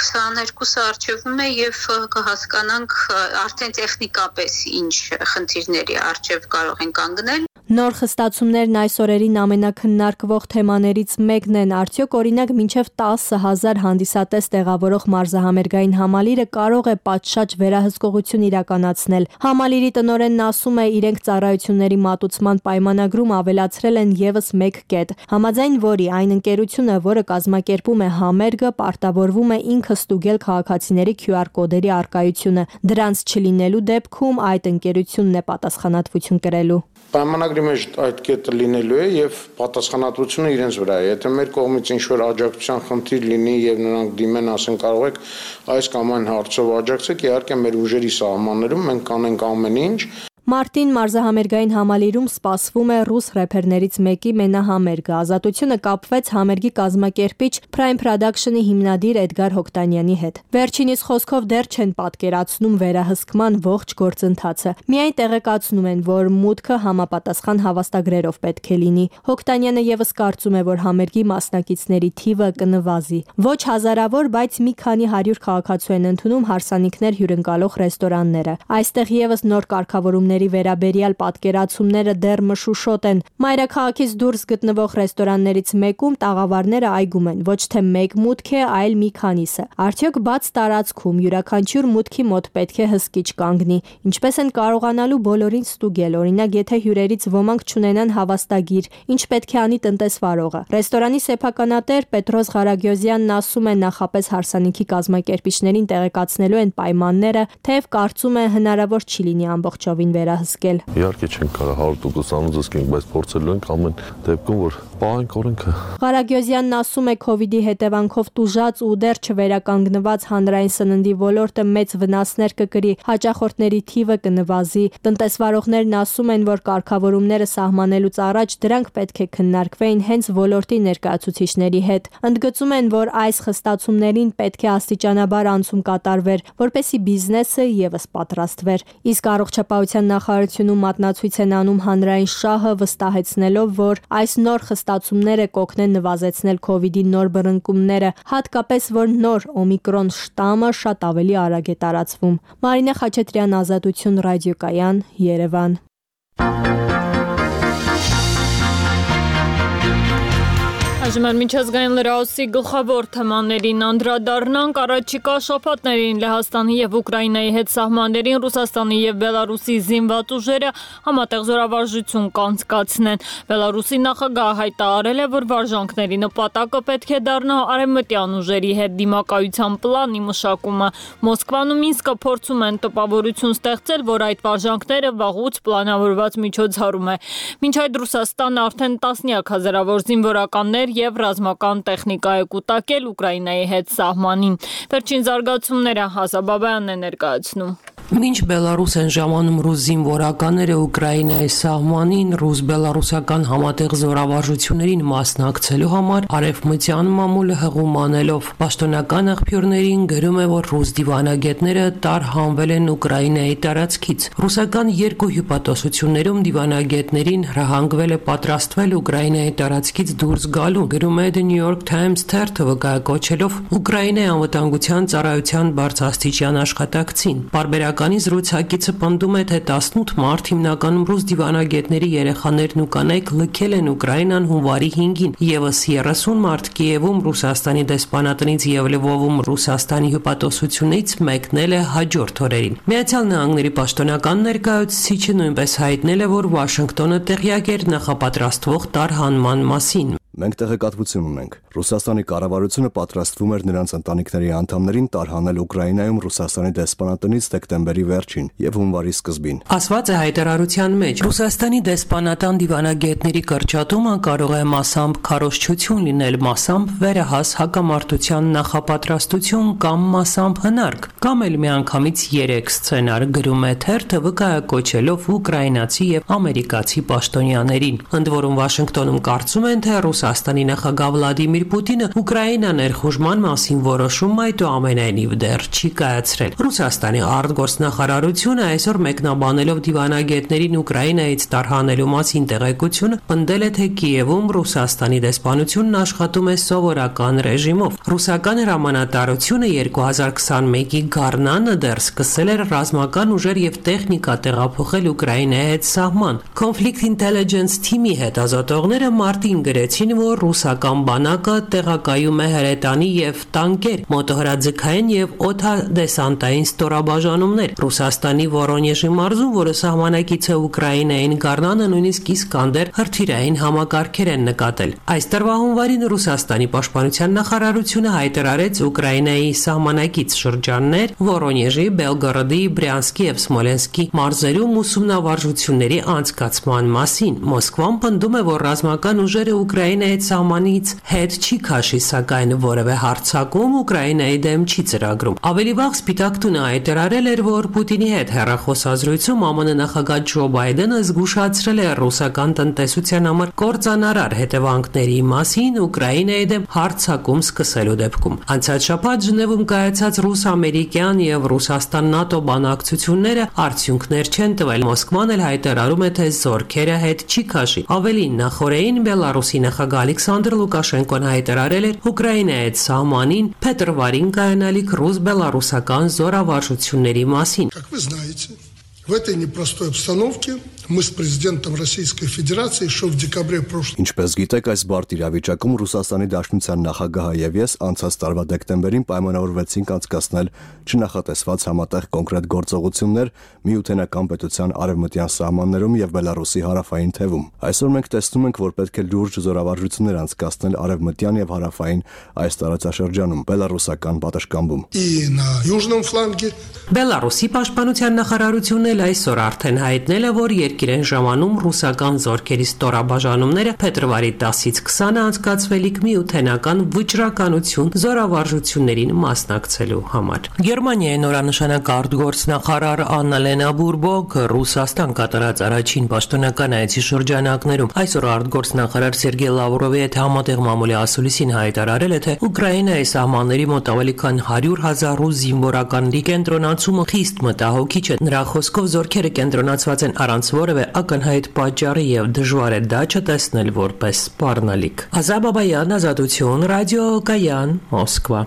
քսաներկուսը առջևում է եւ կհասկանանք արդեն տեխնիկապես ինչ խնդիրների առջև կարող են կանգնել։ Նոր խստացումներն այս օրերին ամենակննարկվող թեմաներից մեկն են, արդյոք օրինակ մինչև տասը հազար հանդիսատես տեղավորող մարզահամերգային համալիրը կարող է պատշաճ վերահսկողություն իրականացնել։ Համալիրի տնօրենն ասում է, իրենք ծառայությունների մատուցման պայմանագրում ավելացրել են եւս մեկ կետ, համաձայն որի այն ընկերությունը, որը կազմակերպում է համերգը, պարտավորվում է ինքը ստուգել քաղաքացիների քյու ար կոդերի առկայությունը։ Դրանց չլինելու դեպքում այդ ընկերությունն է պատասխանատվություն կրելու։ Պայմանագրի մեջ այդ կետը լինելու է եւ պատասխանատվությունը իրենց վրա է։ Եթե մեր կողմից ինչ-որ աջակցության խնդիր լինի եւ նրանք դիմեն, ասեն կարող եք այս կամ այն հարցով աջակցեք, իհարկե մեր ուժերի սահմաններում մենք կանենք ամեն ինչ։ Մարտին մարզահամերգային համալիրում սպասվում է ռուս рэփերներից մեկի մենահամերգը։ Ազատությունը կապվեց համերգի կազմակերպիչ Prime Production-ի հիմնադիր Էդգար Հոկտանյանի հետ։ Վերջինիս խոսքով դեռ չեն պատկերացնում վերահսկման ողջ գործընթացը։ Միայն տեղեկացնում են, որ մուտքը համապատասխան հավաստագրերով պետք է լինի։ Հոկտանյանը եւս կարծում է, որ համերգի մասնակիցների թիվը կնվազի։ Ոչ հազարավոր, բայց մի քանի հարյուր քաղաքացու են ընդունում հարսանիքներ հյուրընկալող ռեստորանները։ Այստեղ եւս նոր կարգավորումների վերաբերյալ պատկերացումները դեռ մշուշոտ են։ Մայրաքաղաքից դուրս գտնվող ռեստորաններից մեկում տաղավարները այգում են, ոչ թե մեկ մուտք է, այլ մի քանիսը։ Արդյոք բաց տարածքում յուրաքանչյուր մուտքի մոտ պետք է հսկիչ կանգնի։ Ինչպես են կարողանալու բոլորին ստուգել, օրինակ, եթե հյուրերից ոմանք չունենան հավաստագիր, ինչ պետք է անի տնտեսվարողը։ Ռեստորանի սեփականատեր Պետրոս Ղարագյոզյանն ասում է, նախապես հարսանիքի կազմակերպիչներին տեղեկացնելու են պայմանները, թեև կարծում է հնարավոր չի լինի ամբողջովին վերահսկել։ Իհարկե չենք կարող հարյուր տոկոս անձնենք, բայց փորձելու ենք ամեն դեպքում, որ պահենք օրենքը։ Ղարագյոզյանն ասում է, քովիդի հետևանքով տուժած ու դեռ չվերականգնված հանրային սննդի ոլորտը մեծ վնասներ կկրի, հաճախորդների թիվը կնվազի։ Տնտեսվարողներն ասում են, որ կարգավորումները սահմանելուց առաջ դրանք պետք է քննարկվեին հենց ոլորտի ներկայացուցիչների հետ։ Ընդգծում են, որ այս խստացումներին պետք է աստիճանաբար անցում կատարվեր, որպեսզի բիզնեսը եւս պատրաստվեր։ Իսկ առողջապահության նախարարությունում մատնացույց են անում հանրային շահը, վստահեցնելով, որ այս նոր խստացումները կօգնեն նվազեցնել քովիդի նոր բռնկումները, հատկապես որ նոր օմիկրոն շտամը շատ ավելի արագ է տարածվում։ Մարինե Խաչատրյան, Ազատություն, Ռադիոկայան, Երևան։ Այժմ միջազգային լրահոսի գլխավոր թեմաներին անդրադառնանք։ Առաջիկա շաբաթներին Լեհաստանի եւ Ուկրաինայի հետ սահմաններին Ռուսաստանի եւ Բելարուսի զինված ուժերը համատեղ զորավարժություն կանցկացնեն։ Բելարուսի նախագահը հայտարարել է, որ վարժանքների նպատակը պետք է դառնա արևմտյան ուժերի հետ դիմակայության պլանի մշակումը։ Մոսկվան ու Մինսկը փորձում են տպավորություն ստեղծել, որ այդ վարժանքները վաղուց պլանավորված միջոցառում է։ Մինչ այդ Ռուսաստանը արդեն տասնյակ հազարավոր զինվորականներ եւ ռազմական տեխնիկա է կուտակել Ուկրաինայի հետ սահմանին։ Վերջին զարգացումները Հասա Բաբայանն է ներկայացնում։ Մինչ Բելարուս են ժամանում ռուս զինվորականները Ուկրաինայի սահմանին ռուս-բելարուսական համատեղ զորավարժություններին մասնակցելու համար արևմտյան մամուլը հղումանելով պաշտոնական աղբյուրներին գրում է, որ ռուս դիվանագետները տարհանվել են Ուկրաինայի տարածքից։ Ռուսական երկու հյուպատոսություններում դիվանագետներին հրահանգվել է պատրաստվել Ուկրաինայի տարածքից դուրս գալու, գրում է The New York Times թերթը վկայակոչելով Ուկրաինայի անվտանգության ծառայության բարձրաստիճան աշխատակցին։ Բարբերականի զրուցակիցը պնդում է, թե տասնութ մարտ հիմնականում ռուս դիվանագետների երեխաներն ու կանայք լքել են Ուկրաինան հունվարի հինգին, եւս երեսուն մարտ Կիևում Ռուսաստանի դեսպանատնից եւ Լվովում Ռուսաստանի հյուպատոսությունից մեկնել է հաջորդ օրերին։ Միացյալ Նահանգների պաշտոնական ներկայացուցիչը նույնպես հայտնել է, որ Վաշինգտոնը տեղյակ էր նախապատրաստվող տարհանման մասին։ Մենք տեղեկատվություն ունենք։ Ռուսաստանի կառավարությունը պատրաստվում էր նրանց ընտանիքների անդամներին տարհանել Ուկրաինայում Ռուսաստանի դեսպանատնից դեկտեմբերի վերջին եւ հունվարի սկզբին։ Ասված է հայտարարության մեջ, Ռուսաստանի դեսպանատան դիվանագետների կրճատումը կարող է մասամբ քարոզչություն լինել, մասամբ վերահաս հակամարտության նախապատրաստություն կամ մասամբ հնարք, կամ էլ միանգամից երեք սցենար, գրում է թերթը վկայակոչելով ուկրաինացի եւ ամերիկացի պաշտոնյաներին։ Ընդ որում Վաշինգտոնում կարծում են, թե Ռուսաստանի նախագահ Վլադիմիր Պուտինը Ուկրաինա ներխուժման մասին որոշում այդուամենայնիվ դեռ չի կայացրել։ Ռուսաստանի արտգործնախարարությունը այսօր մեկնաբանելով դիվանագետներին Ուկրաինայից տարհանելու մասին տեղեկությունը պնդել է, թե Կիևում Ռուսաստանի դեսպանությունն աշխատում է սովորական ռեժիմով։ Ռուսական հրամանատարությունը երկու հազար քսանմեկի գարնանը դեռ սկսել էր ռազմական ուժեր եւ տեխնիկա տեղափոխել Ուկրաինայի հետ սահման։ Conflict Intelligence Team-ի հետազոտողները մարտին գրեցին, որ ռուսական բանակը տեղակայում է հրետանի եւ տանկեր, մոտոհրաձգային եւ օդադեսանտային ստորաբաժանումներ։ Ռուսաստանի Վորոնեժի մարզում, որը սահմանակից է Ուկրաինային, գարնանը նույնիսկ Իսկանդեր հրթիռային համակարգեր են նկատել։ Այս տարվա հունվարին Ռուսաստանի պաշտպանության նախարարությունը հայտարարեց Ուկրաինայի սահմանակից շրջաններ Վորոնեժի, Բելգորոդի, Բրյանսկի եւ Սմոլենսկի մարզերում ուսումնավարժությունների անցկացման մասին։ Մոսկվան պնդում է, որ ռազմական ուժերը Ուկրաինայի Ուկրաինայի սահմանից հետ չի քաշի, սակայն որևէ հարձակում Ուկրաինայի դեմ չի ծրագրում։ Ավելի վաղ Սպիտակ տունը հայտարարել էր, որ Պուտինի հետ հեռախոսազրույցում ԱՄՆ նախագահ Ջո Բայդենը զգուշացրել է ռուսական տնտեսության համար կործանարար հետևանքների մասին Ուկրաինայի դեմ հարձակում սկսելու դեպքում։ Անցած շաբաթ Ժնևում կայացած ռուս-ամերիկյան եւ Ռուսաստան-ՆԱՏՕ բանակցությունները արդյունքներ չեն տվել։ Մոսկվան էլ հայտարարում է, թե զորքերը հետ չի քաշի։ Ավելին, նախորդին Բելարուսի նախագահ Ալեքսանդր Լուկաշենկոն հայտարարել էր Ուկրաինայի հետ սահմանին փետրվարին կայանալիք ռուս-բելարուսական զորավարժությունների մասին։ Как вы знаете, в этой непростой обстановке мы с президентом Российской Федерации еще в декабре прошлого Ինչպես գիտեք, այս բարդ իրավիճակում Ռուսաստանի Դաշնության նախագահը եւ ես անցած տարվա դեկտեմբերին պայմանավորվեցինք անցկացնել չնախատեսված համատեղ կոնկրետ գործողություններ Միութենական պետության արևմտյան սահմաններում եւ Բելարուսի հարավային թևում։ Այսօր մենք տեսնում ենք, որ պետք է լուրջ զորավարժություններ անցկացնել արևմտյան եւ հարավային այս տարածաշրջանում Բելարուսական պատշգամբում։ И на южном фланге Բելարուսի պաշտպանության նախարարությունն էլ այսօր արդեն հայտնել է, որ երկիրեն ժամանում ռուսական զորքերի ստորաբաժանումները փետրվարի տասից քսանը անցկացվելիք միութենական վճռականություն զորավարժություններին մասնակցելու համար։ Գերմանիայի նորանշանակ արտգործնախարար Աննա Լենա Բուրբոկ Ռուսաստան կատարած առաջին պաշտոնական այցի շրջանակներում այսօր արտգործնախարար Սերգեյ Լավրովի հետ համատեղ մամուլի ասուլիսին հայտարարել է, թե Ուկրաինայի սահմանների մոտ ավելի քան հարյուր հազար ռուս զինվորականների կենտրոնացումը խիստ մտահոգիչ է։ Նրա խոսքով զորքերը կենտրոնացված են առանց որևէ ակնհայտ պատճառի եւ դժվար է դա չտեսնել որպես սպառնալիք։ Ազատ Բաբայան, Ազատություն, Ռադիո Կայան, Մոսկվա։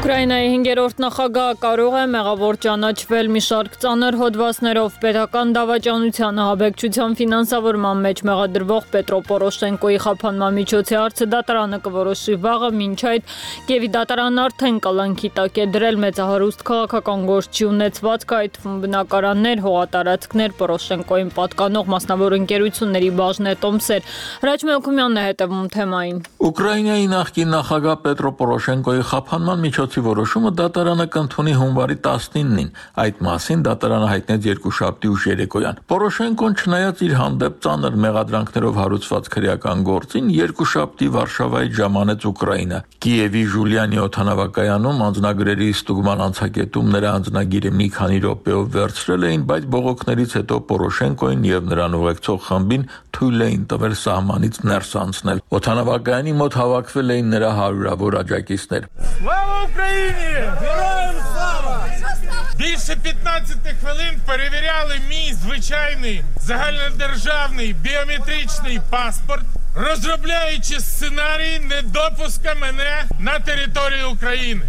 Ուկրաինայի հինգերորդ նախագահը կարող է մեղավոր ճանաչվել մի շարք ծանր հոդվածներով պետական դավաճանության ահաբեկչության ֆինանսավորման մեջ մեղադրվող Պետրո Պորոշենկոյի խափանման միջոցի հարցը դատարանը կորոշի վաղը, մինչ այդ Կիևի դատարանն արդեն կալանքի տակ է դրել մեծահարուստ քաղաքական գործի ունեցվածքը, այդ թվում բնակարաններ, հողատարածքներ, Պորոշենկոյին պատկանող մասնավոր ընկերությունների բաժնետոմսեր։ Հրաչ Մելքումյանն է հետևում թեմային։ Ուկրաինայի նախկին նախագահ Պետրո Պորոշենկոյի խափանման միջոցի որոշումը դատարանը կընդունի հունվարի տասնինին։ Այդ մասին դատարանը հայտնեց երկուշաբթի ուշ երեկոյան։ Պորոշենկոն չնայած իր հանդեպ ծանր մեղադրանքներով հարուցված քրեական գործին, երկուշաբթի Վարշավայից ժամանեց Ուկրաինա։ Կիևի Ժուլիանի օդանավակայանում անձնագրերի ստուգման անցակետում նրա անձնագիրը մի քանի րոպեով վերցրել էին, բայց բողոքներից հետո Պորոշենկոին եւ նրան ուղեկցող խմբին թույլ էին тվել սահմանից ներս անցնել։ Օդանավակայանի мот հավաքվել էին нրա հարյուրավոր աջակիցներ։ Україні! Героям слава! Більше п'ятнадцяти хвилин перевіряли мій звичайний загальнодержавний біометричний паспорт, розробляючи сценарій недопуска мене на територію України.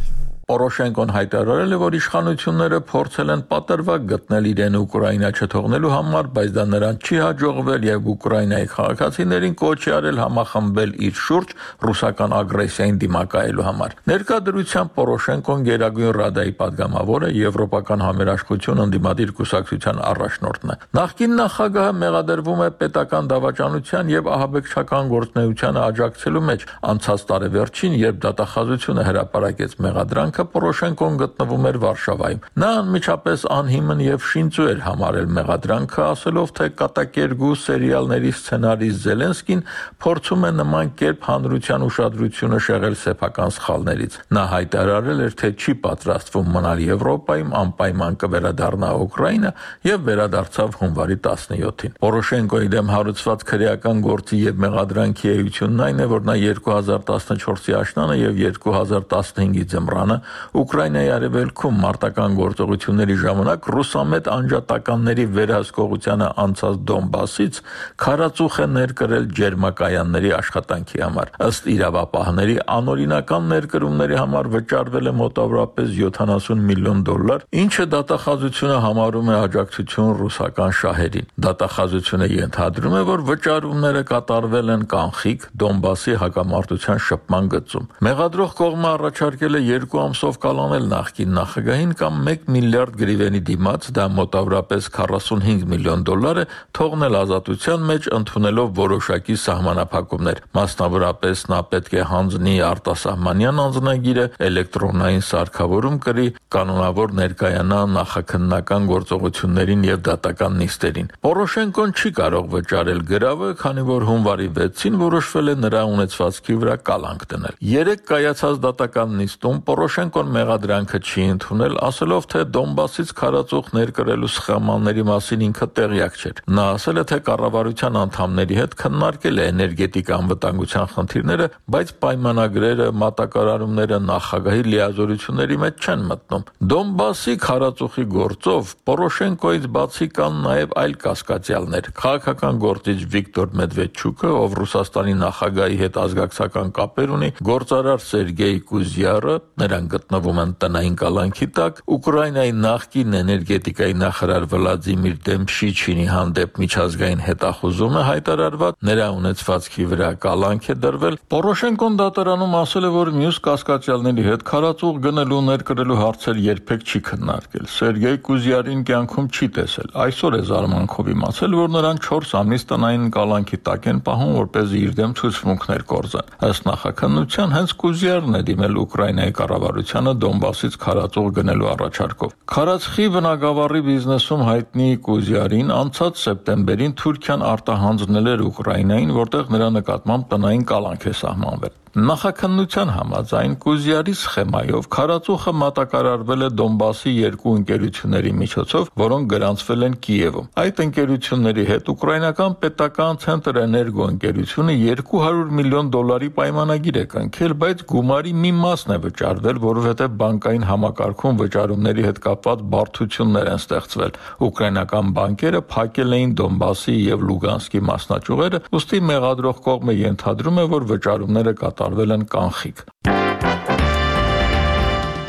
Պորոշենկոն հայտարարել է, որ իշխանությունները փորձել են պատրվակ գտնել իրեն Ուկրաինա չթողնելու համար, բայց դա նրան չի հաջողվել եւ Ուկրաինայի քաղաքացիներին կոչ է արել համախմբել իր շուրջ ռուսական ագրեսիային դիմակայելու համար։ Ներկա դրությամբ Պորոշենկոն Գերագույն Ռադայի падգամավոր է, Եվրոպական համերաշխություն ընդդիմադիր կուսակցության առաջնորդն է։ Նախկին նախագահը մեղադրվում է պետական դավաճանության եւ ահաբեկչական գործունեությանը աջակցելու մեջ։ Անցած տարեվերջին, երբ դատախազությունը հրապարակեց մեղադրանքը, Պորոշենկոն գտնվում էր Վարշավայում։ Նա անմիջապես անհիմն եւ շինծու էր համարել մեղադրանքը, ասելով, թե կատակերգու սերիալների սցենարիստ Զելենսկին փորձում է նման կերպ հանրության ուշադրությունը շեղել սեփական սխալներից։ Նա հայտարարել էր, թե չի պատրաստվում մնալ Եվրոպայում, անպայման կվերադառնա Ուկրաինա եւ վերադարձավ հունվարի տասնյոթին։ Պորոշենկոյի դեմ հարուցված քրեական գործի եւ մեղադրանքի էությունն այն է, որ նա երկու հազար տասնչորսի աշնանը եւ երկու հազար տասնհինգի ձմռանը Ուկրաինայի արևելքում մարտական գործողությունների ժամանակ ռուսամետ անջատականների վերահսկողությանը անցած Դոնբասից քարածուխ է ներկրել ջերմակայանների աշխատանքի համար։ Ըստ իրավապահների, անօրինական ներկրումների համար վճարվել է մոտավորապես յոթանասուն միլիոն դոլար, ինչը դատախազությունը համարում է աջակցություն ռուսական շահերին։ Դատախազությունը ենթադրում է, որ վճարումները կատարվել են կանխիկ Դոնբասի հակամարտության շփման գծում։ Մեղադրող կողմը առաջարկել է երկու ամսով կալանել նախկին նախագահին կամ մեկ միլիարդ գրիվենի դիմաց, դա մոտավորապես քառասունհինգ միլիոն դոլար է, թողնել ազատության մեջ ընդունելով որոշակի սահմանափակումներ։ Մասնավորապես նա պետք է հանձնի արտասահմանյան անձնագիրը, էլեկտրոնային սարքավորում կրի, կանոնավոր ներկայանա նախաքննական գործողություններին եւ դատական նիստերին։ Պորոշենկոն չի կարող վճարել գրավը, քանի որ հունվարի վեցին որոշվել է նրա ունեցվածքի վրա կալանք դնել։ Երեք կայացած դատական նիստում Պորոշենկոն մեղադրանքը չի ընդունել, ասելով, թե Դոնբասից քարածուխ ներկրելու սխեմաների մասին ինքը տեղյակ չէր։ Նա ասել է, թե կառավարության անդամների հետ քննարկել է էներգետիկ անվտանգության խնդիրները, բայց պայմանագրերը, մատակարարումները նախագահի լիազորությունների մեջ չեն մտնում։ Դոնբասի քարածուխի գործով Պորոշենկոից բացի կան նաև այլ կասկածյալներ։ Քաղաքական գործիչ Վիկտոր Մեդվեդչուկը, ով Ռուսաստանի նախագահի հետ ազգակցական կապեր ունի, գործարար Սերգեյ Կուզյարը, նրանք գտնվում են տնային կալանքի տակ, Ուկրաինայի նախկին էներգետիկայի նախարար Վլադիմիր Դեմփշիչինի հանդեպ միջազգային հետախուզում է հայտարարված, նրա ունեցվածքի վրա կալանք է դրվել։ Պորոշենկոն դատարանում ասել է, որ մյուս կասկածյալների հետ քարածուխ գնելու ներկրելու հարցեր երբեք չի քննարկել։ Սերգեյ Կուզյարին կյանքում չի տեսել։ Այսօր է զարմանքով իմացել, որ նրան չորս ամիս տնային կալանքի տակ են պահում, որպեսզի իր դեմ ցուցմունքներ կորզեն։ Ըստ նախաքննության հենց Կուզյարն է դիմել Ուկրաինայի կառավարությանը Դոնբասից քարածուխ գնելու առաջարկով։ Քարածխի բնագավառի բիզնեսում հայտնի Կուզյարին անցած սեպտեմբերին Թուրքիան արտահանձնել էր Ուկրաինային, որտեղ նրա նկատմամբ տնային կալանք է սահմանվել։ Նախաքննության համաձայն Կուզյարի սխեմայով քարածուխը մատակարարվել է Դոնբասի երկու ընկերությունների միջոցով, որոնք գրանցվել են Կիևում։ Այդ ընկերությունների հետ ուկրաինական պետական Ցենտր Էներգո ընկերությունը երկու հարյուր միլիոն դոլարի պայմանագիր է կնքել, բայց գումարի մի մասն է վճարվել, որովհետև բանկային համակարգում վճարումների հետ կապված բարդություններ են ստեղծվել։ Ուկրաինական բանկերը փակել էին Դոնբասի եւ Լուգանսկի մասնաճյուղերը, ուստի մեղադրող կողմը ենթադրում է, որ վճարումները կատարվել են կանխիկ։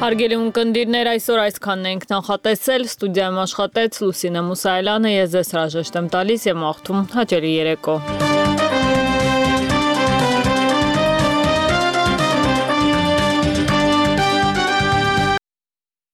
Հարգելի ունկնդիրներ, այսօր այսքանն ենք նախատեսել, ստուդիայում աշխատեց Լուսինե Մուսայելյանը, ես ձեզ հրաժեշտ եմ տալիս եւ մաղթում հաճելի երեկո։